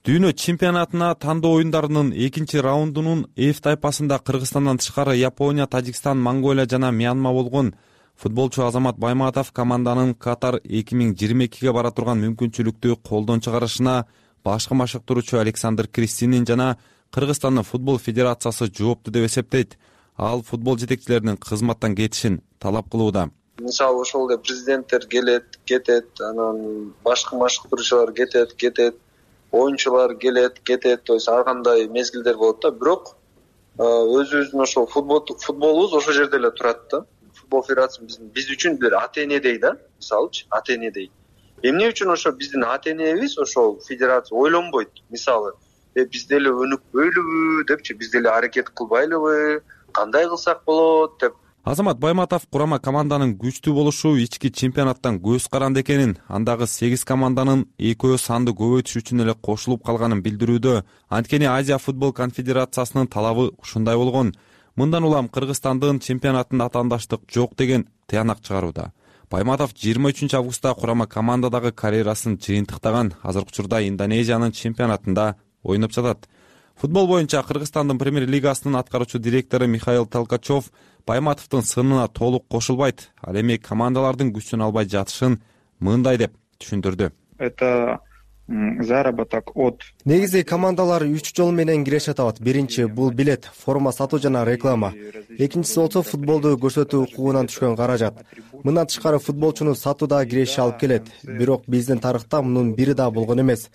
Дүйнө чемпионатына тандоо оюндарынын экинчи раундунун F тайпасында Кыргызстандан тышкары Япония, Тажикстан, Монголия жана Мьянма болгон. Футболчу Азамат Байматов команданын Катар 2022ге бара турган мүмкүнчүлүктү колдон чыгарышына башкы машыктыруучу Александр Кристинин жана Кыргызстандын футбол федерациясы жоопту деп эсептейт. Ал футбол жетекчилеринин кызматтан кетишин талап кылууда. Мисалы ошол эле президенттер келет, кетет, анан башкы машыктыруучулар кетет, оюнчулар келет, кетет, то есть ар кандай мезгилдер болот да. Бирок өзүбүздүн ошол футболубуз ошол жерде эле турат да. Футбол федерациясы биз үчүн бир ата-энедей да, мисалычы, ата-энедей. Эмне үчүн ошо биздин ата-энебиз ошол федерация ойлонбойт. Мисалы, биз деле өнүкпөйлүбү депчи, биз деле аракет кылбайлыбы, кандай кылсак болот деп. Азамат Байматов курама команданын күчтүү болушу ички чемпионаттан көз каранды экенин, андагы 8 команданын экөө санды көбөйтүш үчүн эле кошулуп калганын билдирүүдө. Анткени Азия футбол конфедерациясынын талабы ушундай болгон. Мындан улам Кыргызстандын чемпионатында атаандаштык жок деген тыянак чыгарууда. Байматов 23 августта курама командадагы карьерасын жыйынтыктаган, азыркы учурда Индонезиянын чемпионатында ойноп жатат. Футбол боюнча Кыргызстандын премьер-лигасынын аткаруучу директору Михаил Толкачев Байматовдун сынына толук кошулбайт. Ал эми командалардын күчүн албай жатышын мындай деп түшүндүрдү. Это заработок от. Негизи командалар 3 жол менен киреше атабат. Биринчи бул билет, форма сатуу жана реклама. Экинчиси болсо футболду көрсөтүү укугунан түшкөн каражат. Мындан тышкары футболчуну сатууда киреше алып келет. Бирок биздин тарыхта мунун бири да болгон эмес.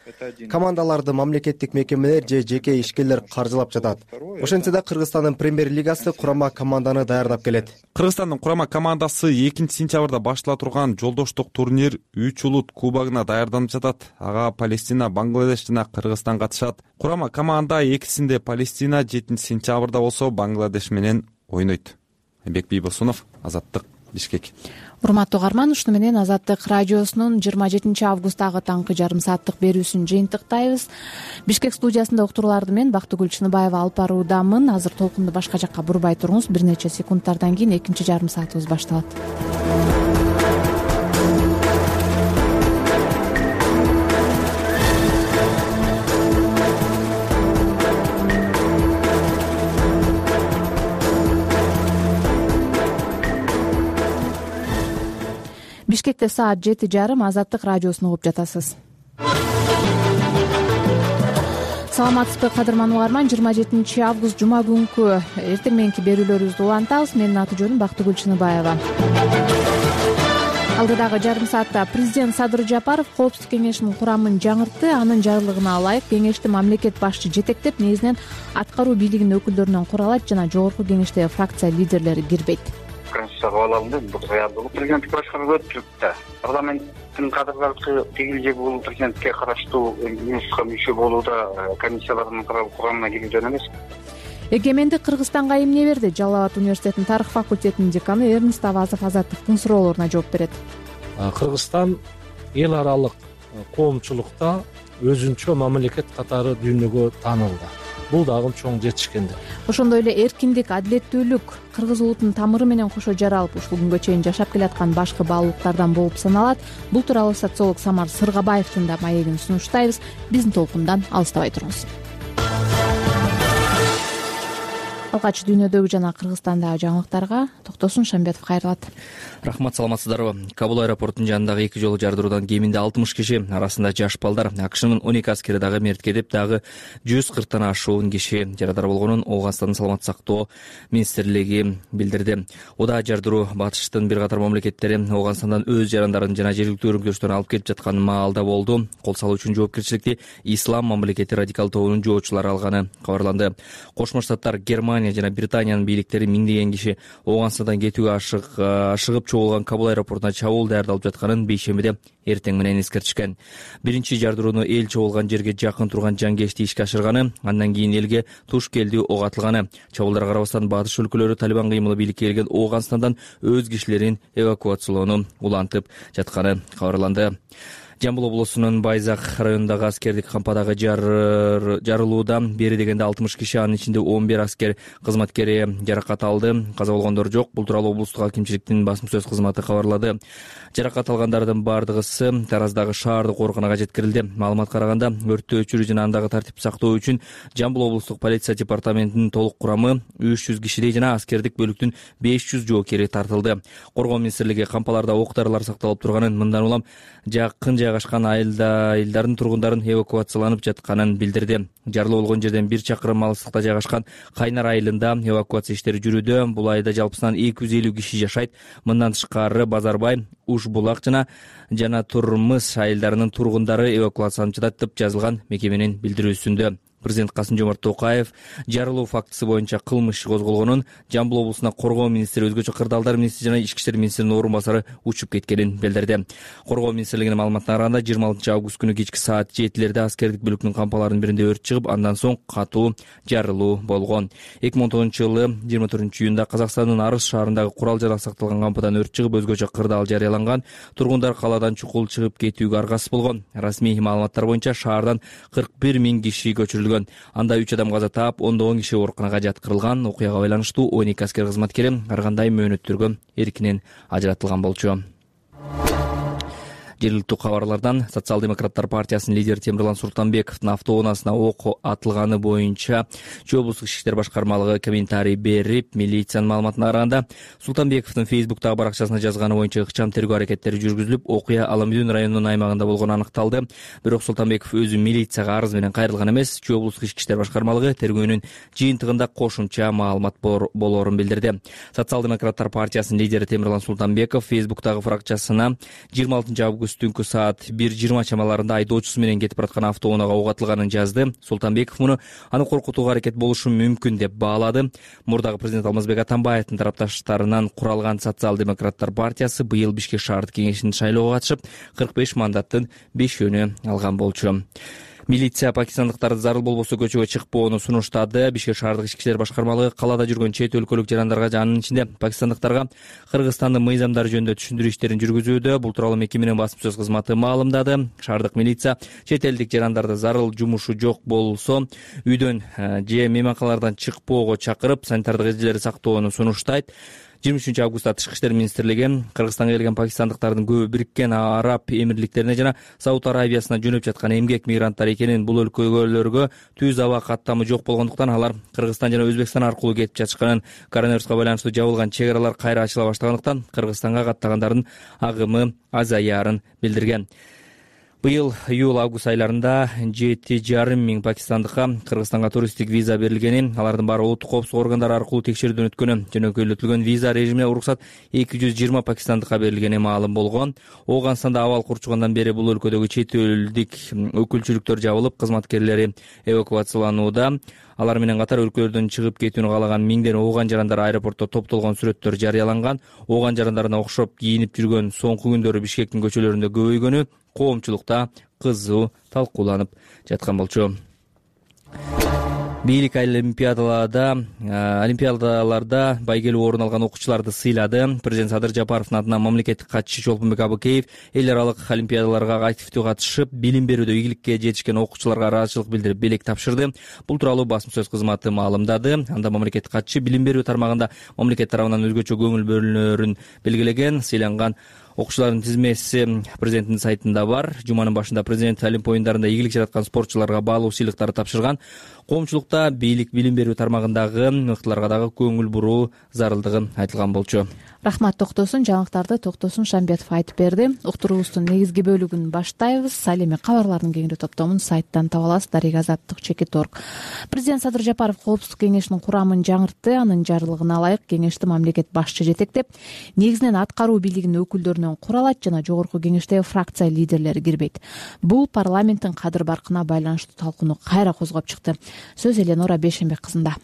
Командаларды мамлекеттик мекемелер же жеке ишкерлер каржылап жатат. Ошентсе да Кыргызстандын премьер-лигасы курама команданы даярдап келет. Кыргызстандын курама командасы 2-сентябрда баштала турган жолдоштук турнир 3 улут кубогуна даярданып жатат. Ага Палестина, Бангладеш жана Кыргызстан катышат. Курама команда экисинде Палестина 7-сентябрда болсо Бангладеш менен ойнойт. Айбек Бийбосунов, Азаттык, Бишкек. Урматтуу угарман, ушуну менен Азаттык радиосунун 27-августтагы таңкы жарым сааттык берүүсүн жыйынтыктайбыз. Бишкек студиясында уктурууларды мен Бактыгүл Чыныбаева алып баруудамын. Азыр толкунду башка жакка бурбай туруңуз. Бир нече секундтардан кийин экинчи жарым саатыбыз башталат. Бишкекте саат 7:30. Азаттык радиосун угуп жатасыз. Саламатсызбы кадырман угарман, 27-август жума күнкү эртең мененки берүүлөрүбүздү улантабыз. Менин аты жөнүм Бактыгүл Чыныбаева. Алдыдагы жарым саатта президент Садыр Жапаров Коопсуздук кеңешинин курамын жаңыртты. Анын жарлыгына ылайык кеңешти мамлекет башчы жетектеп, негизинен аткаруу бийлигинин өкүлдөрүнөн куралат жана жогорку кеңеште фракция лидерлери кирбейт. Конституция кабыл алынды, бул даярдыгы президенттик башкаруу өттүк да. Парламенттин кадрлары тигил же бул президентке караштуу юристка мүчө болууда комиссиялардын курамына кирүүдөн эмес. Эгемендик Кыргызстанга эмне берди? Жалал Абад университетинин тарых факультетинин деканы Эрнест Авазов Азаттыктын суроолоруна жооп берет. Кыргызстан эл аралык коомчулукта өзүнчө мамлекет катары дүйнөгө таанылды. Бул дагы чоң жетишкендик. Ошондой эле эркиндик, адилеттүүлүк кыргыз улутунун тамыры менен кошо жаралып, ушул күнгө чейин жашап келаткан башкы баалуулуктардан болуп саналат. Бул тууралуу социолог Самар Сыргабаевдин да маегин сунуштайбыз. Биздин толкундан алыстабай туруңуз. Алгач дүйнөдөгү жана Кыргызстандагы жаңылыктарга Токтосун Шамбетов кайрылат. Рахмат, саламатсыздарбы? Кабул аэропортунун жанындагы 2 жолу жардыруудан кеминде 60 киши, арасында жаш балдар, АКШнын 12 аскери дагы мерт кетип, дагы 140 ашуун киши жарадар болгонун Ооганстандын саламаттык сактоо министрлиги билдирди. Уда жардыруу батыштын бир катар мамлекеттери Ооганстандан өз жарандарын жана жергиликтүү өрүнкүрөштөрүн алып келип жаткан маалда болду. Кол салуу үчүн жоопкерчиликти Ислам мамлекети радикал тобунун жоочулары алганы кабарланды. Кошмо Штаттар, Германия жана Британиянын бийликтери миңдеген киши Ооганстандан кетүүгө ашыгып чогулган Кабул аэропортуна чабуул даярдалып жатканын бейшембиде эртең менен эскертишкен. Биринчи жардырууну эл чогулган жерге жакын турган жангечти ишке ашырганы, андан кийин элге туш келдүү ок атылганы. Чабуулдарга карабастан батыш өлкөлөрү Талибан кыймылы бийликке келген Ооганстандан өз кишилерин эвакуациялоону улантып жатканы кабарланды. Жамбыл облусунун Байзак районундагы аскердик кампадагы жарылуудан бери дегенде 60 киши, анын ичинде 11 аскер кызматкери жаракат алды. Каза болгондор жок. Бул тууралуу облустук акимчиликтин басма сөз кызматы кабарлады. Жаракат алгандардын бардыгысы Тараздагы шаардык ооруканага жеткирилди. Маалыматка караганда, өрттү өчүрүү жана андагы тартипти сактоо үчүн Жамбыл облустук полиция департаментинин толук курамы 300 кишидей жана аскердик бөлүктүн 500 жоокери тартылды. Коргоо министрлиги кампаларда ок-дарылар сакталып турганын, мындан улам жакын жайгашкан айылдардын тургундарын эвакуацияланып жатканын билдирди. Жарылуу болгон жерден 1 чакырым алыстыкта жайгашкан Кайнар айылында эвакуация иштери жүрүүдө. Бул айылда жалпысынан 250 киши жашайт. Мындан тышкары Базарбай, Уш-Булак жана Турмыс айылдарынын тургундары эвакуацияланып жатат деп жазылган мекеменин билдирүүсүндө. Президент Касым-Жомарт Токаев жарылуу фактысы боюнча кылмыш иши козголгонун, Жамбыл облусуна коргоо министри, өзгөчө кырдаалдар министри жана ички иштер министринин орун басары учуп кеткенин билдирди. Коргоо министрлигинин маалыматына караганда 26 август күнү кечки саат 7:00 аскердик бөлүктүн кампаларынын биринде өрт чыгып, андан соң катуу жарылуу болгон. 2010-жылы 24-июнда Казакстандын Арыс шаарындагы курал-жарак сакталган кампадан өрт чыгып, өзгөчө кырдаал жарыяланган. Тургундар калаадан чукул чыгып кетүүгө аргасыз болгон. Расмий маалыматтар боюнча шаардан 41 000 киши көчүрүлгөн. Анда 3 адам каза таап, 10 киши ооруканага жаткырылган. Окуяга байланыштуу 12 аскер кызматкери ар кандай мөөнөттөргө эркинен ажыратылган болчу. Жергиликтүү кабарлардан Социал-демократтар партиясынын лидери Темирлан Султанбековдун автоунаасына ок атылганы боюнча Чүй облустук ички иштер башкармалыгы комментарий берип, милициянын маалыматына караганда Султанбековдун Фейсбуктагы баракчасына жазганы боюнча ыкчам тергөө аракеттери жүргүзүлүп, окуя Аламүдүн районунун аймагында болгону аныкталды. Бирок Султанбеков өзү милицияга арыз менен кайрылган эмес. Чүй облустук ички иштер башкармалыгы тергөөнүн жыйынтыгында кошумча маалымат болоорун билдирди. Социал-демократтар партиясынын лидери Темирлан Султанбеков Фейсбуктагы баракчасына 26 август түнкү саат 1:20 чамаларында айдоочусу менен кетип бараткан автоунаага ок атылганын жазды. Султанбеков муну аны коркутууга аракет болушу мүмкүн деп баалады. Мурдагы президент Алмазбек Атамбаевдин тарапташтарынан куралган Социал-демократтар партиясы быйыл Бишкек шаардык кеңешинин шайлоого катышып 45 мандаттын 5-өөнү алган болчу. Милиция пакистандыктарды зарыл болбосо көчөгө чыкпоону сунуштады. Бишкек шаардык ички иштер башкармалыгы калаада жүргөн чет өлкөлүк жарандарга, анын ичинде пакистандыктарга Кыргызстандын мыйзамдары жөнүндө түшүндүрүү иштерин жүргүзүүдө. Бул тууралуу мекеменин басма сөз кызматы маалымдады. Шаардык милиция чет элдик жарандарды зарыл жумушу жок болсо үйдөн же мейманканалардан чыкпоого чакырып, санитардык эрежелерди сактоону сунуштайт. 23 августта Тышкы иштер министрлиги Кыргызстанга келген пакистандыктардын көбү Бириккен Араб Эмирликтерине жана Сауд Арабиясына жөнөп жаткан эмгек мигранттар экенин, бул өлкөлөргө түз аба каттамы жок болгондуктан алар Кыргызстан жана Өзбекстан аркылуу кетип жатышканын, коронавируска байланыштуу жабылган чек аралар кайра ачыла баштагандыктан Кыргызстанга каттагандардын агымы азаярын билдирген. Быйыл июль-август айларында 7,5 миң пакистандыкка Кыргызстанга туристтик виза берилгени, алардын баары улуттук коопсуздук органдары аркылуу текшерүүдөн өткөнү, жөнөкөйлөтүлгөн виза режимине уруксат 220 пакистандыкка берилгени маалым болгон. Ооганстанда абал курчугандан бери бул өлкөдөгү чет элдик өкүлчүлүктөр жабылып, кызматкерлери эвакуацияланууда. Алар менен катар өлкөлөрдөн чыгып кетүүнү каалаган миңден ооган жарандар аэропортто топтолгон сүрөттөр жарыяланган. Ооган жарандарына окшоп кийинип жүргөн соңку күндөрү Бишкектин көчөлөрүндө көбөйгөнү коомчулукта кызуу талкууланып жаткан болчу. Бийлик олимпиадаларда байгелүү орун алган окуучуларды сыйлады. Президент Садыр Жапаровдун атынан мамлекеттик катчы Чолпонбек Абыкеев эл аралык олимпиадаларга активдүү катышып, билим берүүдө ийгиликке жетишкен окуучуларга ыраазычылык билдирип белек тапшырды. Бул тууралуу басма сөз кызматы маалымдады. Анда мамлекеттик катчы билим берүү тармагында мамлекет тарабынан өзгөчө көңүл бөлүнөрүн белгилеген. Сыйланган окуучулардын тизмеси президенттин сайтында бар. Жуманын башында президент Олимп оюндарында ийгилик жараткан спортчуларга баалуу сыйлыктарды тапшырган. Коомчулукта бийлик билим берүү тармагындагы мыктыларга дагы көңүл буруу зарылдыгы айтылган болчу. Рахмат Токтосун. Жаңылыктарды Токтосун Шамбетов айтып берди. Уктуруубуздун негизги бөлүгүн баштайбыз. Ал эми кабарлардын кеңири топтомун сайттан таба аласыз. Дарига Азаттык.org. Президент Садыр Жапаров Коопсуздук кеңешинин курамын жаңыртты. Анын жарлыгына ылайык кеңешти мамлекет башчы жетектеп, негизинен аткаруу бийлигинин өкүлдөрүнөн куралат жана жогорку кеңештеги фракция лидерлери кирбейт. Бул парламенттин кадыр баркына байланыштуу талкууну кайра козгоп чыкты. Сөз Эленора Бейшенбек кызында.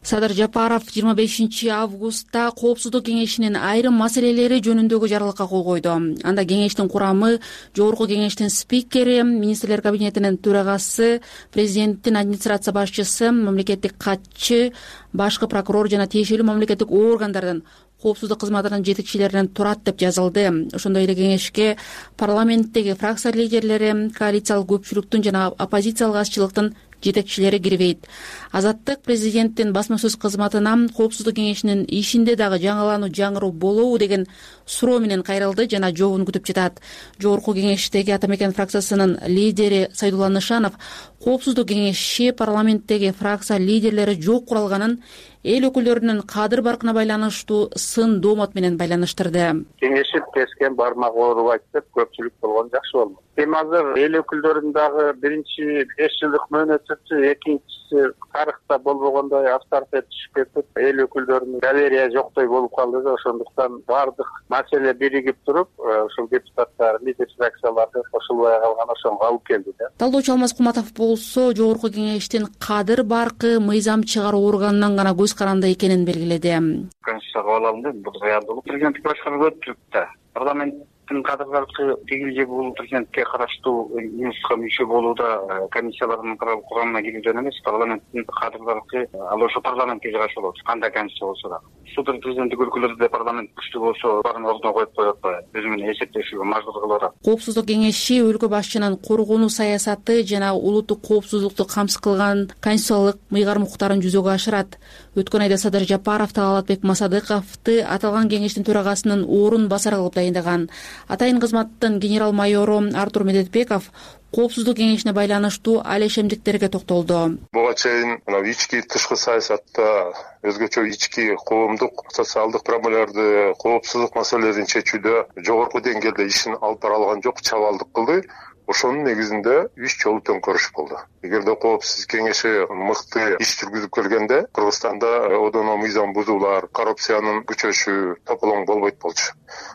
Садыр Жапаров 25 августта Коопсуздук кеңешинин айрым маселелери жөнүндөгү жарлыкка кол койду. Анда кеңештин курамы, жогорку кеңештин спикери, министрлер кабинетинин төрагасы, президенттин администрация башчысы, мамлекеттик катчы, башкы прокурор жана тиешелүү мамлекеттик органдардын коопсуздук кызматынын жетекчилеринен турат деп жазылды. Ошондой эле кеңешке парламенттеги фракция лидерлери, коалициялык көпчүлүктүн жана оппозициялык азчылыктын жетекчилери кирбейт. Азаттык президенттин басма сөз кызматына Коопсуздук кеңешинин ишинде дагы жаңылануу жаңыруу болобу деген суроо менен кайрылды жана жообун күтүп жатат. Жогорку кеңештеги Ата Мекен фракциясынын лидери Сайдулла Нышанов Коопсуздук кеңеши парламенттеги фракция лидерлери жок куралганын эл өкүлдөрүнүн кадыр баркына байланыштуу сын доомот менен байланыштырды. Кеңешип тескен бармак ооруп айтып көпчүлүк болгон жакшы болмок. Эми азыр эл өкүлдөрүнүн дагы биринчи 5 жылдык мөөнөтү, экинчиси тарыхта болбогондой авторитет түшүп кетип, эл өкүлдөрүнүн доверия жоктой болуп калды да, ошондуктан баардык маселе биригип туруп, ушул депутаттар, лидер фракцияларды кошулбай калган ошого алып келди да. Талдоочу Алмаз Куматов болсо жогорку кеңештин кадыр баркы мыйзам чыгаруу органынан гана көз каранды экенин белгиледи. Конституцияга кабыл алынды, бул даярдык президенттик башкаруу өттүк да. Парламенттин кадыр баркы тигил же бул президентке караштуу юнуска мүчө болууда комиссиялардын курамына кирүүдөн эмес, парламенттин кадыр баркы ал ошо парламентке жараша болот. Кандай комиссия болсо да. Судыр президенттик өлкөлөрдө парламент күчтүү болсо баарын ордуна коюп коет атпайбы? Өзү менен эсептешүүгө мажбур кылып атат. Коопсуздук кеңеши өлкө башчынын коргонуу саясаты жана улуттук коопсуздукту камсыз кылган конституциялык мыйгарым укуктарын жүзөгө ашырат. Өткөн айда Садыр Жапаров Талалатбек Масадыковду аталган кеңештин төрагасынын орун басары кылып тайындаган. Атайын кызматтын генерал майору Артур Медетбеков коопсуздук кеңешине байланыштуу алешемдиктерге токтолду. Буга чейин ички тышкы саясатта өзгөчө ички коомдук социалдык проблемаларды, коопсуздук маселелерин чечүүдө жогорку деңгээлде ишин алып бара алган жок, чабалдык кылды. Ошонун негизинде 3 жолу төңкөрүш болду. Эгерде коопсуздук кеңеши мыкты иш жүргүзүп келгенде Кыргызстанда одоно мыйзам бузуулар, коррупциянын күчөшү тополоң болбойт болчу.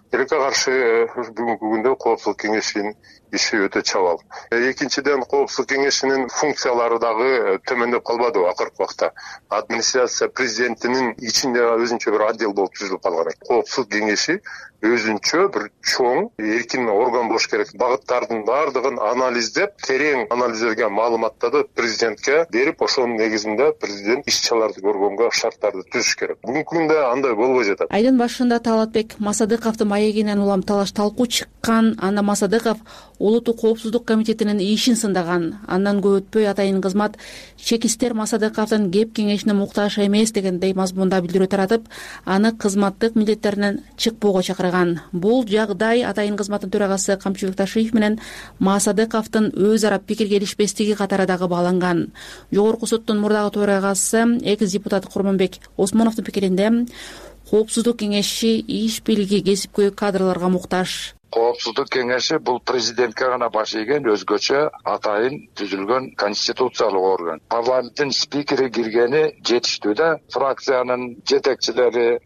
Тилекке каршы бүгүнкү күндө коопсуздук кеңешинин иши өтө чабал. Экинчиден, коопсуздук кеңешинин функциялары дагы төмөндөп калбады акыркы убакта. Администрация президентинин ичинде өзүнчө бир отдел болуп түзүлүп калган. Коопсуздук кеңеши өзүнчө бир чоң эркин орган болуш керек. Багыттардын бардыгын анализдеп, терең анализделген маалыматтарды президентке берип, ошонун негизинде президент иш-чараларды көргөнгө шарттарды түзүш керек. Бүгүнкү күндө андай болбой жатат. Айдын башында Талатбек Масадыковдун маегинен улам талаш талкуу чыккан. Анда Масадыков Улуттук коопсуздук комитетинин ишин сындаган. Андан көп өтпөй атайын кызмат чекистер Масадыковдун кеп кеңешине муктаж эмес дегендей мазмунда билдирүү таратып, аны кызматтык милдеттеринен чыкпоого чакырган. Бул жагдай атайын кызматтын төрагасы Камчыбек Ташиев менен Масадыковдун өз ара пикир келишпестиги катары дагы бааланган. Жогорку соттун мурдагы төрагасы экс-депутат Курманбек Осмоновдун пикиринде коопсуздук кеңеши иш билги, кесипкөй кадрларга муктаж. Коопсуздук кеңеши бул президентке гана баш ийген өзгөчө атайын түзүлгөн конституциялык орган. Парламенттин спикери киргени жетиштүү да. Фракциянын жетекчилери,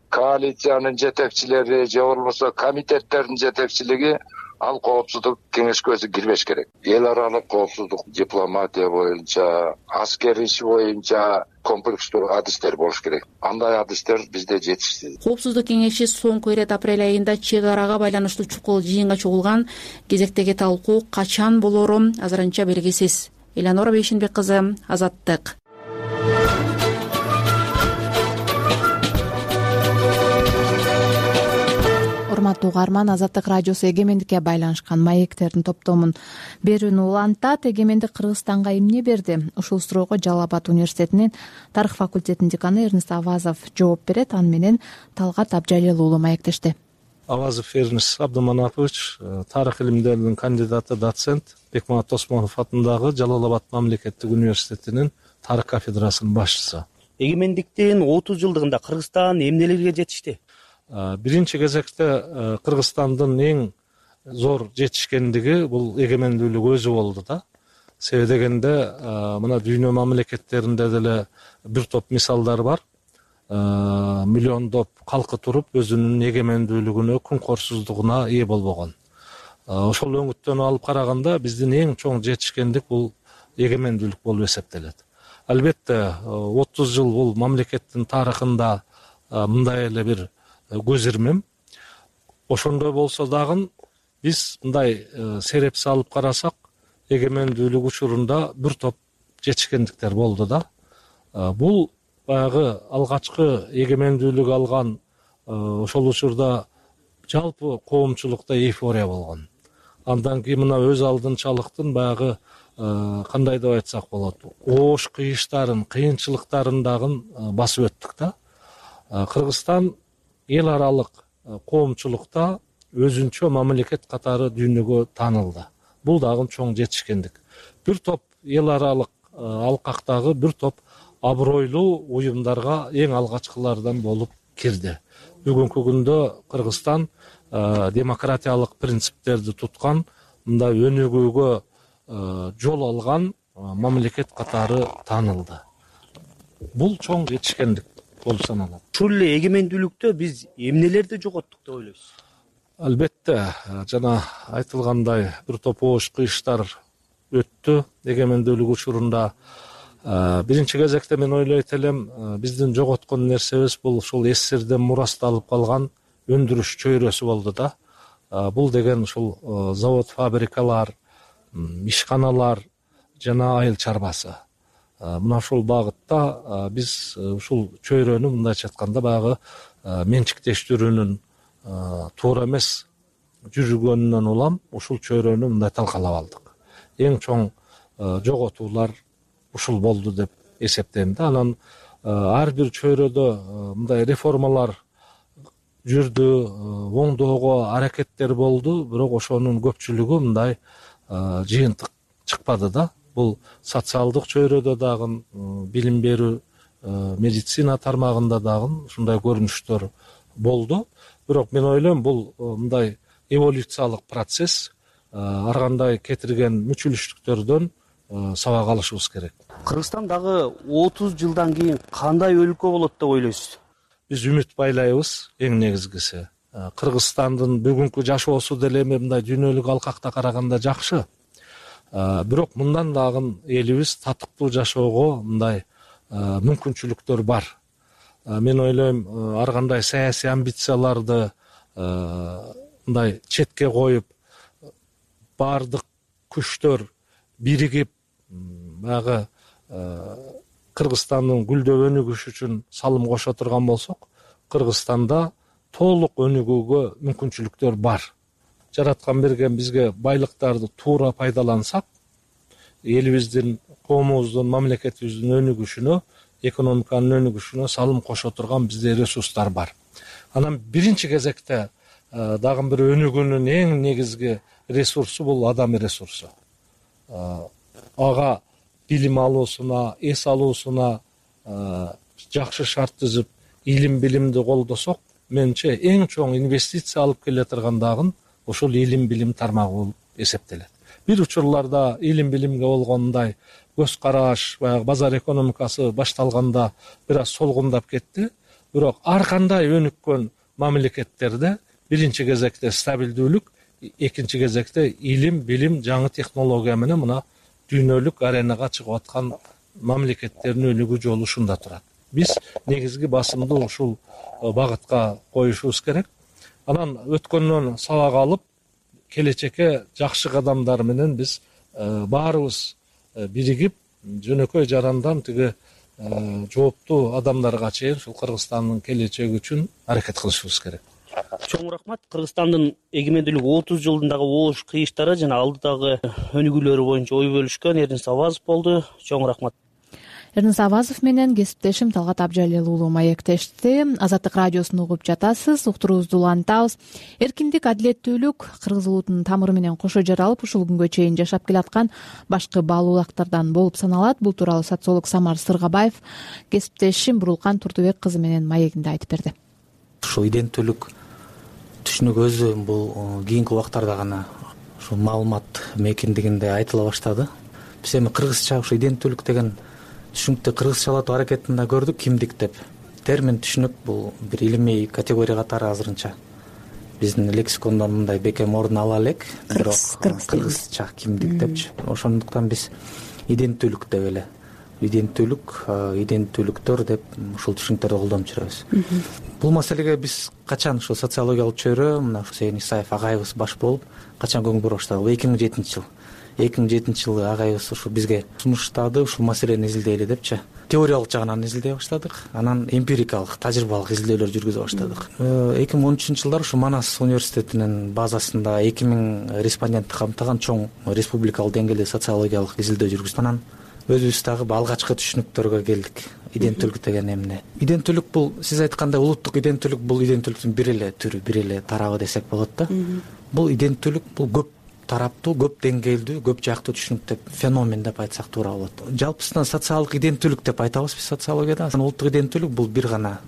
коалициянын жетекчилери же болбосо комитеттердин жетекчилиги ал коопсуздук кеңешке өзү кирбеш керек. Эл аралык коопсуздук дипломатия боюнча, аскер иш боюнча комплекстүү адистер болуш керек. Андай адистер бизде жетишсиз. Коопсуздук кеңеши соңку ирет апрель айында чек арага байланыштуу чукул жыйынга чогулган. Кезектеги талкуу качан болору азырынча белгисиз. Эланора Бейшенбек кызы, Азаттык. Урматтуу угарман, Азаттык радиосу эгемендикке байланышкан маектердин топтомун берүүнү улантат. Эгемендик Кыргызстанга эмне берди? Ушул суроого Жалал Абад университетинин тарых факультетинин деканы Эрнест Авазов жооп берет. Аны менен Талгат Абжалил уулу маектешти. Авазов Эрнест Абдуманапович, тарых илимдеринин кандидаты, доцент, Бекмамат Осмонов атындагы Жалал Абад мамлекеттик университетинин тарых кафедрасынын башчысы. Эгемендиктин 30 жылдыгында Кыргызстан эмнелерге жетишти? Биринчи кезекте Кыргызстандын эң зор жетишкендиги бул эгемендүүлүк өзү болду да. Себеби дегенде мына дүйнө мамлекеттеринде деле бир топ мисалдар бар. Миллиондоп калкы туруп өзүнүн эгемендүүлүгүнө, күнкорсуздугуна ээ болбогон. Ошол өңүттөн алып караганда биздин эң чоң жетишкендик бул эгемендүүлүк болуп эсептелет. Албетте 30 жыл бул мамлекеттин тарыхында мындай эле бир көз ирмем. Ошондой болсо дагы биз мындай сереп салып карасак, эгемендүүлүк учурунда бир топ жетишкендиктер болду да. Бул баягы алгачкы эгемендүүлүк алган ошол учурда жалпы коомчулукта эйфория болгон. Андан кийин мына өз алдынчалыктын баягы кандай деп айтсак болот, оош кыйыштарын, кыйынчылыктарын дагы басып өттүк да. Кыргызстан эл аралык коомчулукта өзүнчө мамлекет катары дүйнөгө таанылды. Бул дагы чоң жетишкендик. Бир топ эл аралык алкактагы бир топ абройлуу уюмдарга эң алгачкылардан болуп кирди. Бүгүнкү күндө Кыргызстан демократиялык принциптерди туткан, мындай өнүгүүгө жол алган мамлекет катары таанылды. Бул чоң жетишкендик болуп саналат. Ушул эле эгемендүүлүктө биз эмнелерди жоготтук деп ойлойсуз? Албетте, жана айтылгандай бир топ оош кыйыштар өттү эгемендүүлүк учурунда. Биринчи кезекте мен ойлойт элем, биздин жоготкон нерсебиз бул ушул СССРден мурасталып калган өндүрүш чөйрөсү болду да. Бул деген ушул завод, фабрикалар, ишканалар жана айыл чарбасы. Мына ушул багытта биз ушул чөйрөнү мындайча айтканда баягы менчиктештирүүнүн туура эмес жүргөнүнөн улам ушул чөйрөнү мындай талкалап алдык. Эң чоң жоготуулар ушул болду деп эсептейм да. Анан ар бир чөйрөдө мындай реформалар жүрдү, оңдоого аракеттер болду, бирок ошонун көпчүлүгү мындай жыйынтык чыкпады да. Бул социалдык чөйрөдө дагы, билим берүү, медицина тармагында дагы ушундай көрүнүштөр болду. Бирок мен ойлойм, бул мындай эволюциялык процесс, ар кандай кетирген мүчүлүштүктөрдөн сабак алышыбыз керек. Кыргызстан дагы 30 жылдан кийин кандай өлкө болот деп ойлойсуз? Биз үмүт байлайбыз, эң негизгиси. Кыргызстандын бүгүнкү жашоосу деле эми мындай дүйнөлүк алкакта караганда жакшы. Бирок мындан дагы элибиз татыктуу жашоого мындай мүмкүнчүлүктөр бар. Мен ойлойм, ар кандай саясий амбицияларды мындай четке коюп, баардык күчтөр биригип, баягы Кыргызстандын гүлдөп өнүгүшү үчүн салым кошо турган болсок, Кыргызстанда толук өнүгүүгө мүмкүнчүлүктөр бар. Жараткан берген бизге байлыктарды туура пайдалансак, элибиздин, коомубуздун, мамлекетибиздин өнүгүшүнө, экономиканын өнүгүшүнө салым кошо турган бизде ресурстар бар. Анан биринчи кезекте дагы бир өнүгүүнүн эң негизги ресурсу бул адам ресурсу. Ага билим алуусуна, эс алуусуна жакшы шарт түзүп, илим билимди колдосок, менимче эң чоң инвестиция алып келе турган дагы ошол илим билим тармагы болуп эсептелет. Бир учурларда илим билимге болгондой көз караш, баягы базар экономикасы башталганда бир аз солгундап кетти. Бирок ар кандай өнүккөн мамлекеттерде биринчи кезекте стабилдүүлүк, экинчи кезекте илим билим, жаңы технология менен мына дүйнөлүк аренага чыгып аткан мамлекеттердин өнүгүү жолу ушунда турат. Биз негизги басымды ушул багытка коюшубуз керек. Анан өткөндөн сабак алып, келечекке жакшы кадамдар менен биз баарыбыз биригип, жөнөкөй жарандан тиги жооптуу адамдарга чейин ушул Кыргызстандын келечеги үчүн аракет кылышыбыз керек. Чоң рахмат. Кыргызстандын эгемендүүлүк 30 жылдындагы оош кыйыштары жана алдыдагы өнүгүүлөрү боюнча ой бөлүшкөн Эрнис Авазов болду. Чоң рахмат. Эрнис Авазов менен кесиптешим Талгат Абжалил уулу маектешти. Азаттык радиосун угуп жатасыз, уктуруубузду улантабыз. Эркиндик, адилеттүүлүк кыргыз улутунун тамыры менен кошо жаралып, ушул күнгө чейин жашап келаткан башкы баалуулактардан болуп саналат. Бул тууралуу социолог Самар Сыргабаев кесиптешим Бурулкан Турдубек кызы менен маегинде айтып берди. Ушул иденттүүлүк түшүнүк өзү бул кийинки убактарда гана ушул маалымат мейкиндигинде айтыла баштады. Биз эми кыргызча ушул иденттүүлүк деген түшүнүктү кыргызчалатуу аракетин да көрдүк. Кимдик деп термин түшүнүк бул бир илимий категория катары азырынча биздин лексикондон мындай бекем ордун ала элек. Кыргызча кимдик депчи. Ошондуктан биз иденттүүлүк деп эле иденттүүлүктөр деп ушул түшүнүктөрдү колдонуп жүрөбүз. Бул маселеге биз качан ушул социологиялык чөйрө мына Хусейин Исаев агайыбыз баш болуп качан көңүл бура баштады? 2007 жыл. 2007 жылы агайыбыз ушу бизге сунуштады, ушул маселени изилдейли депчи. Теориялык жагынан изилдей баштадык, анан эмпирикалык, тажрыйбалык изилдөөлөр жүргүзө баштадык. 2013 жылдары ушу Манас университетинин базасында 2000 респондентти камтыган чоң республикалык деңгээлде социологиялык изилдөө жүргүздүк. Анан өзүбүз дагы алгачкы түшүнүктөргө келдик. Иденттүүлүк деген эмне? Иденттүүлүк бул сиз айткандай улуттук иденттүүлүк, бул иденттүүлүктүн бир эле түрү, бир эле тарабы десек болот да. Бул иденттүүлүк бул көп тараптуу, көп деңгээлдүү, көп жактуу түшүнүк деп, феномен деп айтсак туура болот. Жалпысынан социалдык иденттүүлүк деп айтабыз биз социологияда. Улуттук иденттүүлүк бул бир гана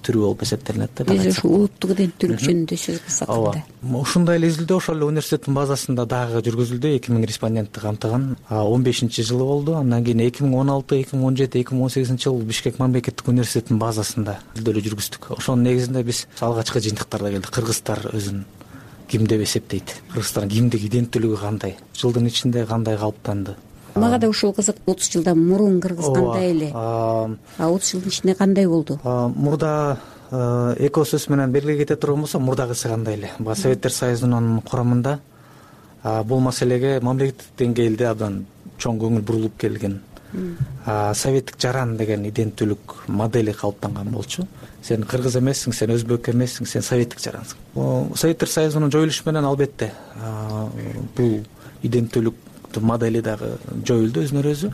түрү болуп эсептелинет да. Биз ушу улуттук иденттүүлүк жөнүндө сөз кылсак кандай? Ушундай эле изилдөө ошол эле университеттин базасында дагы жүргүзүлдү. 2000 респондентти камтыган 15 жылы болду. Андан кийин 2016, 2017, 2018 жылы Бишкек мамлекеттик университетинин базасында изилдөөлөр жүргүздүк. Ошонун негизинде биз алгачкы жыйынтыктарда келдик. Кыргыздар өзүн ким деп эсептейт? Кыргызстардын кимдик иденттүүлүгү кандай? Жылдын ичинде кандай калыптанды? Мага да ушул кызык. 30 жылдан мурун Кыргыз кандай эле? 30 жылдын ичинде кандай болду? Мурда эко сөз менен белгилей кете турган болсо, мурдагысы кандай эле? Советтер Союзунун курамында бул маселеге мамлекеттик деңгээлде абдан чоң көңүл бурулуп келген. Советтик жаран деген иденттүүлүк модели калыптанган болчу. Сен кыргыз эмессиң, сен өзбек эмессиң, сен советтик жарансың. Советтер Союзунун жоюлушу менен албетте бул иденттүүлүк модели дагы жоюлду өзүнөн өзү.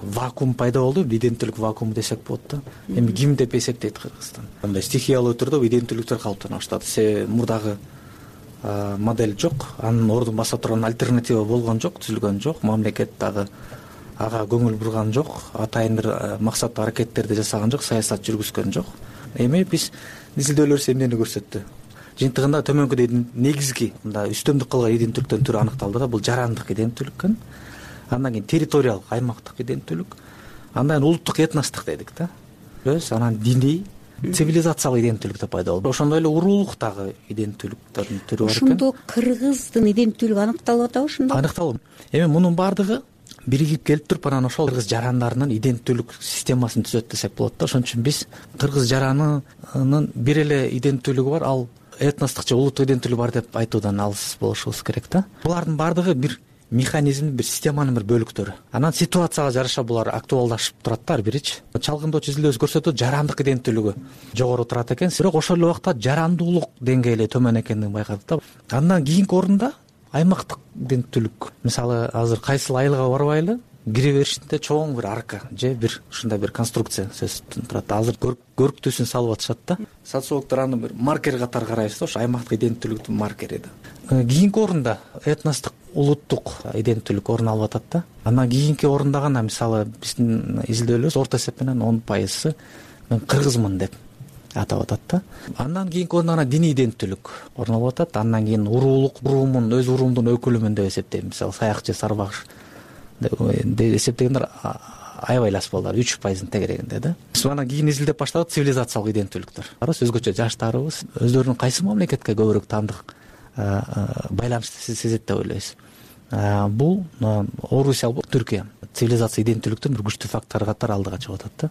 Вакуум пайда болду, иденттүүлүк вакууму десек болот да. Эми ким деп эсептейт Кыргызстан? Мындай стихиялуу түрдө иденттүүлүктөр калыптана баштады. Себеби мурдагы модель жок, анын ордун баса турган альтернатива болгон жок, түзүлгөн жок. Мамлекет дагы ага көңүл бурган жок, атайын бир максаттуу аракеттерди жасаган жок, саясат жүргүзгөн жок. Эми биз изилдөөлөр эмнени көрсөттү? Жыйынтыгында төмөнкүдөй негизги мындай үстөмдүк кылган иденттүүлүктөрдүн түрү аныкталды да. Бул жарандык иденттүүлүк экен. Андан кийин территориялык, аймактык иденттүүлүк, андан кийин улуттук этностук дедик да. Анан диний, цивилизациялык иденттүүлүк да пайда болду. Ошондой эле уруулук дагы иденттүүлүктөрдүн түрү бар экен. Ошондо кыргыздын иденттүүлүгү аныкталып атабы ошондо? Аныкталып. Эми мунун баардыгы биригип келип туруп анан ошол кыргыз жарандарынын иденттүүлүк системасын түзөт десек болот да. Ошон үчүн биз кыргыз жаранынын бир эле иденттүүлүгү бар, ал этностук же улуттук иденттүүлүгү бар деп айтуудан алыс болушубуз керек да. Булардын баардыгы бир механизм, бир системанын бир бөлүктөрү. Анан ситуацияга жараша булар актуалдашып турат да ар биричи. Чалгындоочу изилдөөбүз көрсөтөт, жарандык иденттүүлүгү жогору турат экен, бирок ошол эле убакта жарандуулук деңгээли төмөн экендигин байкадык да. Андан кийинки орунда аймактык иденттүүлүк. Мисалы азыр кайсыл айылга барбайлы, кире беришинде чоң бир арка же бир ушундай бир конструкция сөзсүз турат. Азыр көрктүүсүн салып атышат да. Социологдор аны бир маркер катары карайбыз да, ошо аймактык иденттүүлүктүн маркери да. Кийинки орунда этностук, улуттук иденттүүлүк орун алып атат да. Андан кийинки орунда гана мисалы биздин изилдөөлөрүбүз орто эсеп менен 10% мен кыргызмын деп атап атат да. Андан кийинки орунда гана диний иденттүүлүк орун алып атат. Андан кийин уруулук, уруумун, өз уруумдун өкүлүмүн деп эсептейм. Мисалы саякчы, сарбагыш деп эсептегендер аябай аз балдар, 3%-ын тегерегинде да. Биз анан кийин изилдеп баштадык цивилизациялык иденттүүлүктөр. Өзгөчө жаштарыбыз өздөрүнүн кайсы мамлекетке көбүрөөк таандык байланышты сезет деп ойлойбуз. Бул Орусия, Түркия цивилизация иденттүүлүктүн бир күчтүү фактору катары алдыга чыгып атат да.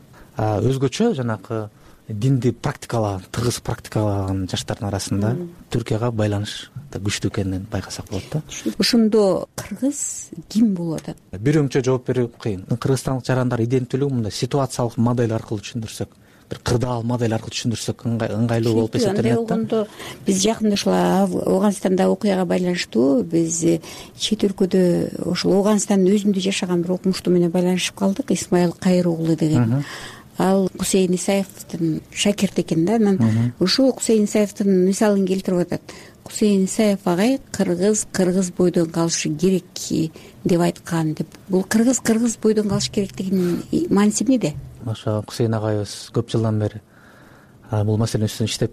Өзгөчө жанакы динди практикалаган, тыгыз практикалаган жаштардын арасында Түркияга байланыш күчтүү экенин байкасак болот да. Ошондо кыргыз ким болуп атат? Бир өңчө жооп берүү кыйын. Кыргызстандык жарандар иденттүүлүгү мындай ситуациялык модель аркылуу түшүндүрсөк, бир кырдаал модель аркылуу түшүндүрсөк ыңгайлуу болуп эсептелет да. Анда биз жакында ушул Ооганстандагы окуяга байланыштуу биз чет өлкөдө ошол Ооганстандын өзүндө жашаган бир окумуштуу менен байланышып калдык. Исмаил Кайыр уулу деген. Ал Кусейин Исаевдин шакирти экен да. Анан ушул Кусейин Исаевдин мисалын келтирип атат. Кусейин Исаев агай кыргыз бойдон калышы керек деп айткан деп. Бул кыргыз бойдон калыш керектигинин мааниси эмнеде? Ошо Кусейин агайыбыз көп жылдан бери бул маселе үстүнөн иштеп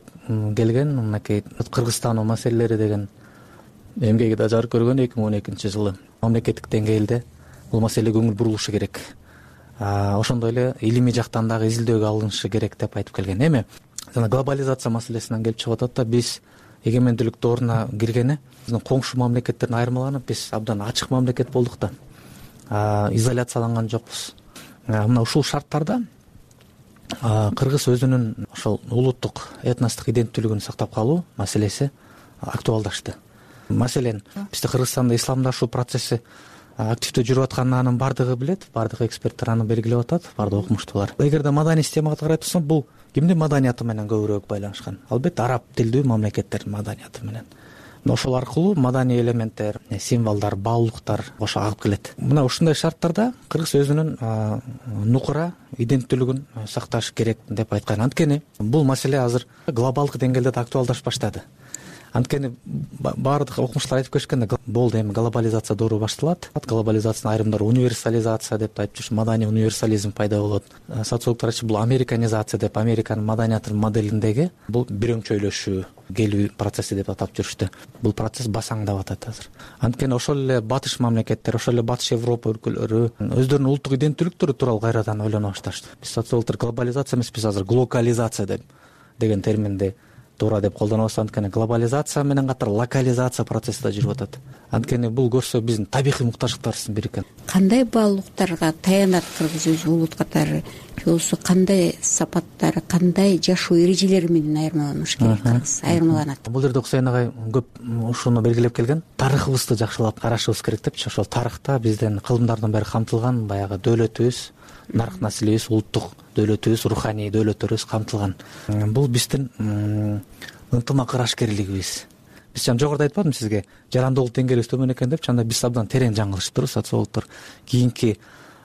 келген. Мынакей Кыргызстан маселелери деген эмгеги да жарык көргөн 2012-жылы. Мамлекеттик деңгээлде бул маселеге көңүл бурулушу керек. Ошондой эле илимий жактан дагы изилдөөгө алынышы керек деп айтып келген. Эми жана глобализация маселесинен келип чыгып атат да. Биз эгемендүүлүк дооруна киргени биздин коңшу мамлекеттерден айырмаланып, биз абдан ачык мамлекет болдук да. Изоляцияланган жокпуз. Мына ушул шарттарда кыргыз өзүнүн ошол улуттук, этностук иденттүүлүгүн сактап калуу маселеси актуалдашты. Маселен, бизде Кыргызстанда исламдашуу процесси активдүү жүрүп атканын анын баардыгы билет, баардык эксперттер аны белгилеп атат, баардык окумуштуулар. Эгерде маданий системага карай турсак, бул кимдин маданияты менен көбүрөөк байланышкан? Албетте араб тилдүү мамлекеттердин маданияты менен. Ошол аркылуу маданий элементтер, символдор, баалуулуктар ошо агып келет. Мына ушундай шарттарда кыргыз өзүнүн нукура иденттүүлүгүн сакташ керек деп айткан. Анткени бул маселе азыр глобалдык деңгээлде да актуалдашып баштады. Анткени баардык окумуштуулар айтып келишкен да, болду эми глобализация доору башталат. Глобализациянын айрымдары универсализация деп айтып жүрүш, маданий универсализм пайда болот. Социологдор айтышы бул американизация деп, Американын маданиятынын моделиндеги бул бир өңчөйлөшүү, келүү процесси деп атап жүрүштү. Бул процесс басаңдап атат азыр. Анткени ошол эле батыш мамлекеттер, ошол эле батыш Европа өлкөлөрү өздөрүнүн улуттук иденттүүлүктөрү тууралуу кайрадан ойлоно башташты. Биз социологдор глобализация эмес, биз азыр глокализация деген терминди туура деп колдонобуз. Анткени глобализация менен катар локализация процесси да жүрүп атат. Анткени бул көрсө биздин табигый муктаждыктарыбыздын бири экен. Кандай баалуулуктарга таянат кыргыз өзү улут катары? Же болбосо кандай сапаттары, кандай жашоо эрежелери менен айырмаланыш керек кыргыз? Айырмаланат. Бул жерде Кусейин агай көп ушуну белгилеп келген. Тарыхыбызды жакшылап карашыбыз керек депчи. Ошол тарыхта биздин кылымдардын баары камтылган, баягы дөөлөтүбүз, нарк населебиз, улуттук дөөлөтүбүз, руханий дөөлөттөрүбүз камтылган. Бул биздин ынтымак ырашкерлигибиз, биз жана жогоруда айтпадымбы сизге жарандуулук деңгээлибиз төмөн экен депчи, анда биз абдан терең жаңылышыптырбыз. Социологдор кийинки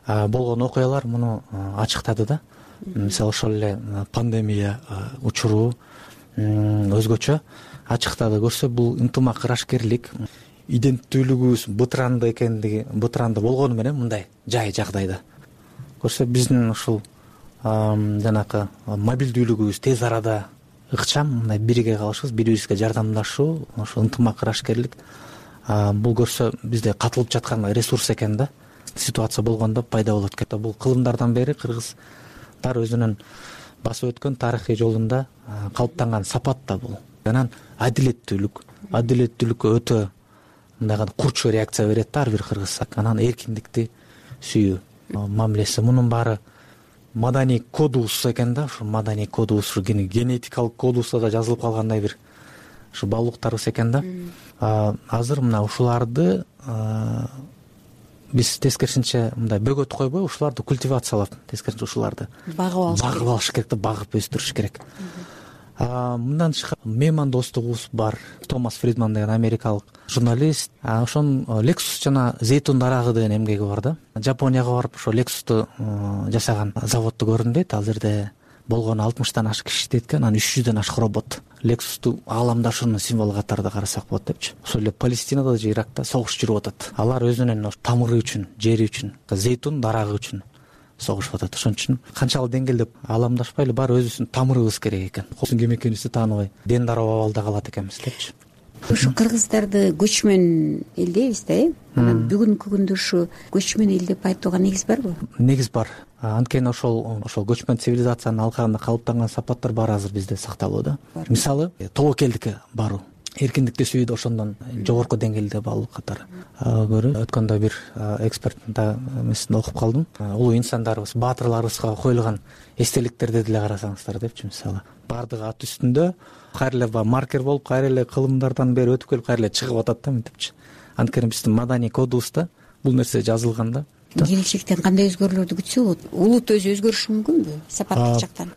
болгон окуялар муну ачыктады да. Мисалы ошол эле пандемия учуру өзгөчө ачыктады. Көрсө бул ынтымак, ырашкерлик, иденттүүлүгүбүз бытыранды болгону менен мындай жагдайда көрсө биздин ушул жанакы мобилдүүлүгүбүз, тез арада ыкчам мындай бирге калышыбыз, бири бирибизге жардамдашуу, ошол ынтымак, ырашкерлик бул көрсө бизде катылып жаткан ресурс экен да. Ситуация болгондо пайда болот экен. Бул кылымдардан бери кыргыздар өзүнүн басып өткөн тарыхый жолунда калыптанган сапат да бул. Анан адилеттүүлүккө өтө мындай курчу реакция берет да ар бир кыргыз. Анан эркиндикти сүйүү мамилеси, мунун баары маданий кодубуз экен да. Ушу маданий кодубуз, ушу генетикалык кодубузда да жазылып калгандай бир ушу баалуулуктарыбыз экен да. Азыр мына ушуларды биз тескерисинче мындай бөгөт койбой, ушуларды культивациялап, тескерисинче ушуларды багып алыш керек да, багып өстүрүш керек. Мындан тышкары мейман достугубуз бар. Томас Фридман деген америкалык журналист, ошонун Lexus жана зейтун дарагы деген эмгеги бар да. Жапонияга барып ошо Lexus'ту жасаган заводду көрдүм дейт. Ал жерде болгону 60тан ашык киши иштейт экен, анан 300дөн ашык робот. Lexus'ту ааламдашуунун символу катарында карасак болот депчи. Ошол эле Палестинада же Иракта согуш жүрүп атат. Алар өзүнүн тамыры үчүн, жери үчүн, зейтун дарагы үчүн согушуп атат. Ошон үчүн канчалык деңгээлде ааламдашпайлы, баары өзүбүздүн тамырыбыз керек экен. Ким экенибизди тааныбай дендар абалда калат экенбиз депчи. Ушу кыргыздарды көчмөн эл дейбиз да, анан бүгүнкү күндө ушу көчмөн эл деп айтууга негиз барбы? Негиз бар. Анткени ошол көчмөн цивилизациянын алкагында калыптанган сапаттар баары азыр бизде сакталууда. Мисалы, тобокелдикке баруу, эркиндикти сүйүүдө ошондон жогорку деңгээлде баалуу катары көрүү. Өткөндө бир эксперттин эмесинде окуп калдым. Улуу инсандарыбыз, баатырларыбызга коюлган эстеликтерди деле карасаңыздар депчи. Мисалы, баардыгы ат үстүндө кайра эле маркер болуп, кайра эле кылымдардан бери өтүп келип, кайра эле чыгып атат да мынтипчи. Анткени биздин маданий кодубузда бул нерсе жазылган да. Келечектен кандай өзгөрүүлөрдү күтсө болот? Улут өзү өзгөрүшү мүмкүнбү сапаттык жактан?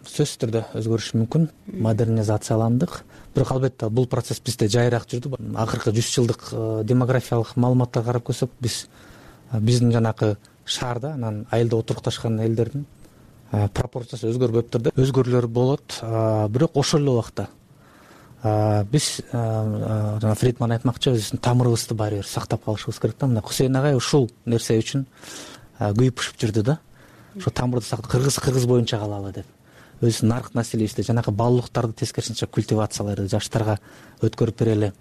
Сөзсүз түрдө өзгөрүшү мүмкүн. Модернизацияландык. Бирок албетте бул процесс бизде жайыраак жүрдү. Акыркы 100 жылдык демографиялык маалыматтарга карап көрсөк, биздин жанакы шаарда анан айылда отурукташкан элдердин пропорциясы өзгөрбөптүр да. Өзгөрүүлөр болот, бирок ошол эле убакта биз жана Фридман айтмакчы, өзүбүздүн тамырыбызды баары бир сактап калышыбыз керек да. Мына Хусейн агай ушул нерсе үчүн күйүп пышып жүрдү да. Ошо тамырды сактап, кыргыз боюнча калалы деп. Өзүнүн нарк населебизди, жанакы баалуулуктарды тескерисинче культивациялайды, жаштарга өткөрүп берели.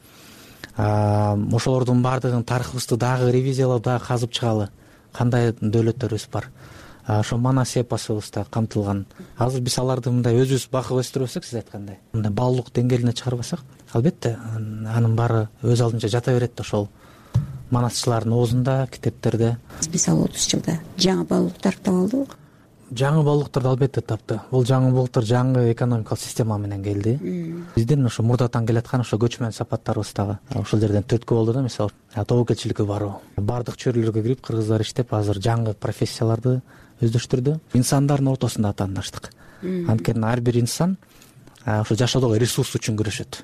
Ошолордун баардыгын тарыхыбызды дагы ревизиялап, дагы казып чыгалы. Кандай дөөлөттөрүбүз бар. Ошо манас эпосубузда камтылган. Азыр биз аларды мындай өзүбүз багып өстүрбөсөк, сиз айткандай, мындай баалуулук деңгээлине чыгарбасак, албетте анын баары өз алдынча жата берет да ошол манасчылардын оозунда, китептерде. Мисалы 30 жылда жаңы баалуулуктар таап алдыбы? Жаңы баалуулуктарды албетте тапты. Бул жаңы баалуулуктар жаңы экономикалык система менен келди. Биздин ошо мурдатан келаткан ошо көчмөн сапаттарыбыз дагы ошол жерден төрткү болду да. Мисалы, тобокелчиликке баруу, бардык чөйрөлөргө кирип кыргыздар иштеп, азыр жаңы профессияларды өздөштүрдү. Инсандардын ортосунда атаандаштык. Анткени ар бир инсан ошо жашоодогу ресурс үчүн күрөшөт.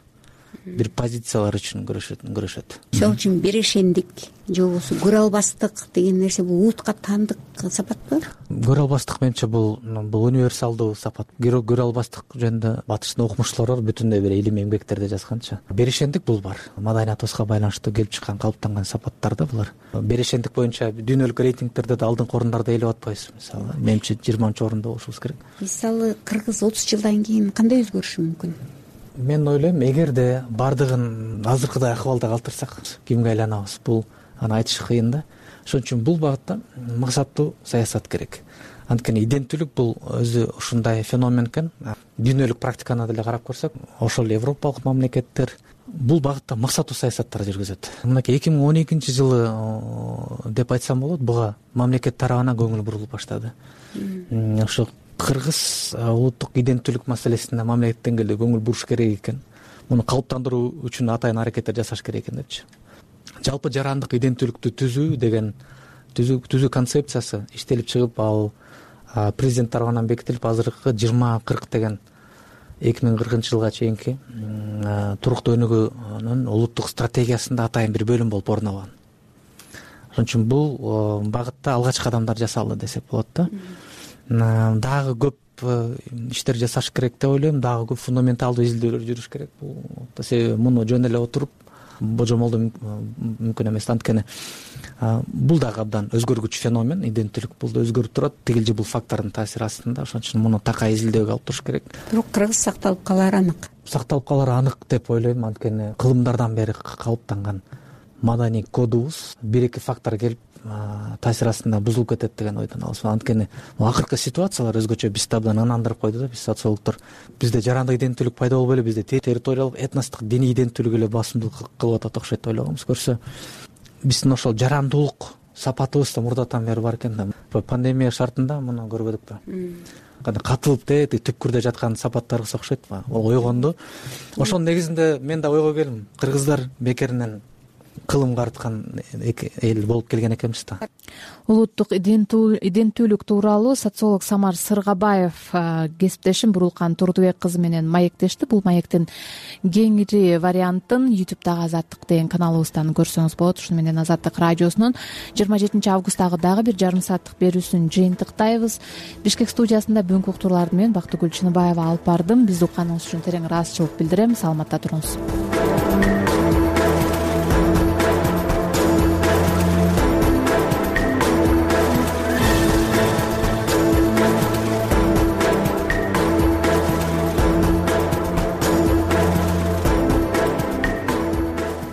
Бир позициялар үчүн күрөшөт. Ошол үчүн берешендик же болбосо көрө албастык деген нерсе бул улутка таандык сапатпы? Көрө албастык менимче бул универсалдуу сапат. Көрө албастык жөнүндө батыштын окумуштуулары бүтүндөй бир илимий эмгектерде жазганча. Берешендик бул бар. Маданиятыбызга байланыштуу келип чыккан, калыптанган сапаттар да булар. Берешендик боюнча дүйнөлүк рейтингтерде да алдыңкы орундарда ээлеп атпайбыз. Мисалы, менимче 20-орунда болушубуз керек. Мисалы, кыргыз 30 жылдан кийин кандай өзгөрүшү мүмкүн? Мен ойлойм, эгерде бардыгын азыркыдай акыбалда калтырсак, кимге айланабыз? Бул аны айтыш кыйын да. Ошон үчүн бул багытта максаттуу саясат керек. Анткени иденттүүлүк бул өзү ушундай феномен экен. Дүйнөлүк практиканы деле карап көрсөк, ошол европалык мамлекеттер бул багытта максаттуу саясаттар жүргүзөт. Мынакей 2012 деп айтсам болот, буга мамлекет тарабынан көңүл бурулуп баштады. Ошо кыргыз улуттук иденттүүлүк маселесине мамлекет деңгээлде көңүл буруш керек экен. Муну калыптандыруу үчүн атайын аракеттер жасаш керек экен депчи. Жалпы жарандык иденттүүлүктү түзүү деген түзүү концепциясы иштелип чыгып, ал президент тарабынан бекитилип, азыркы 20-40 деген 2040 жылга чейинки туруктуу өнүгүүнүн улуттук стратегиясында атайын бир бөлүм болуп орун алган. Ошон үчүн бул багытта алгачкы кадамдар жасалды десек болот да. Дагы көп иштер жасаш керек деп ойлойм, дагы көп фундаменталдуу изилдөөлөр жүрүш керек. Себеби муну жөн эле отуруп божомолдоо мүмкүн эмес. Анткени бул дагы абдан өзгөргүч феномен, иденттүүлүк бул да өзгөрүп турат, тигил же бул фактордун таасири астында. Ошон үчүн муну такай изилдөөгө алып туруш керек. Бирок кыргыз сакталып калары анык. Сакталып калары анык деп ойлойм, анткени кылымдардан бери калыптанган маданий кодубуз бир-эки фактор келип таасир астында бузулуп кетет деген ойдон алабыз. Анткени акыркы ситуациялар өзгөчө бизди абдан ынандырып койду да. Биз социологдор бизде жарандык иденттүүлүк пайда болуп эле бизде территориялык, этностук, диний иденттүүлүк эле басымдуулук кылып атат окшойт деп ойлогонбуз. Көрсө биздин ошол жарандуулук сапатыбыз да мурдатан бери бар экен да. Пандемия шартында муну көрбөдүкпү? Кандай катылып түпкүрдө жаткан сапаттарыбыз окшойт. Ол ойгонду. Ошонун негизинде мен да ойго келдим. Кыргыздар бекеринен кылым карыткан эл болуп келген экенбиз да. Улуттук иденттүүлүк тууралуу социолог Самар Сыргабаев кесиптешим Бурулкан Турдубек кызы менен маектешти. Бул маектин кеңири вариантын YouTube'дагы Азаттык деген каналыбыздан көрсөңүз болот. Ушуну менен Азаттык радиосунун 27 августтагы дагы бир жарым сааттык берүүсүн жыйынтыктайбыз. Бишкек студиясында бүгүнкү уктурууларды мен Бактыгүл Чыныбаева алып бардым. Бизди укканыңыз үчүн терең ыраазычылык билдирем. Саламатта туруңуз.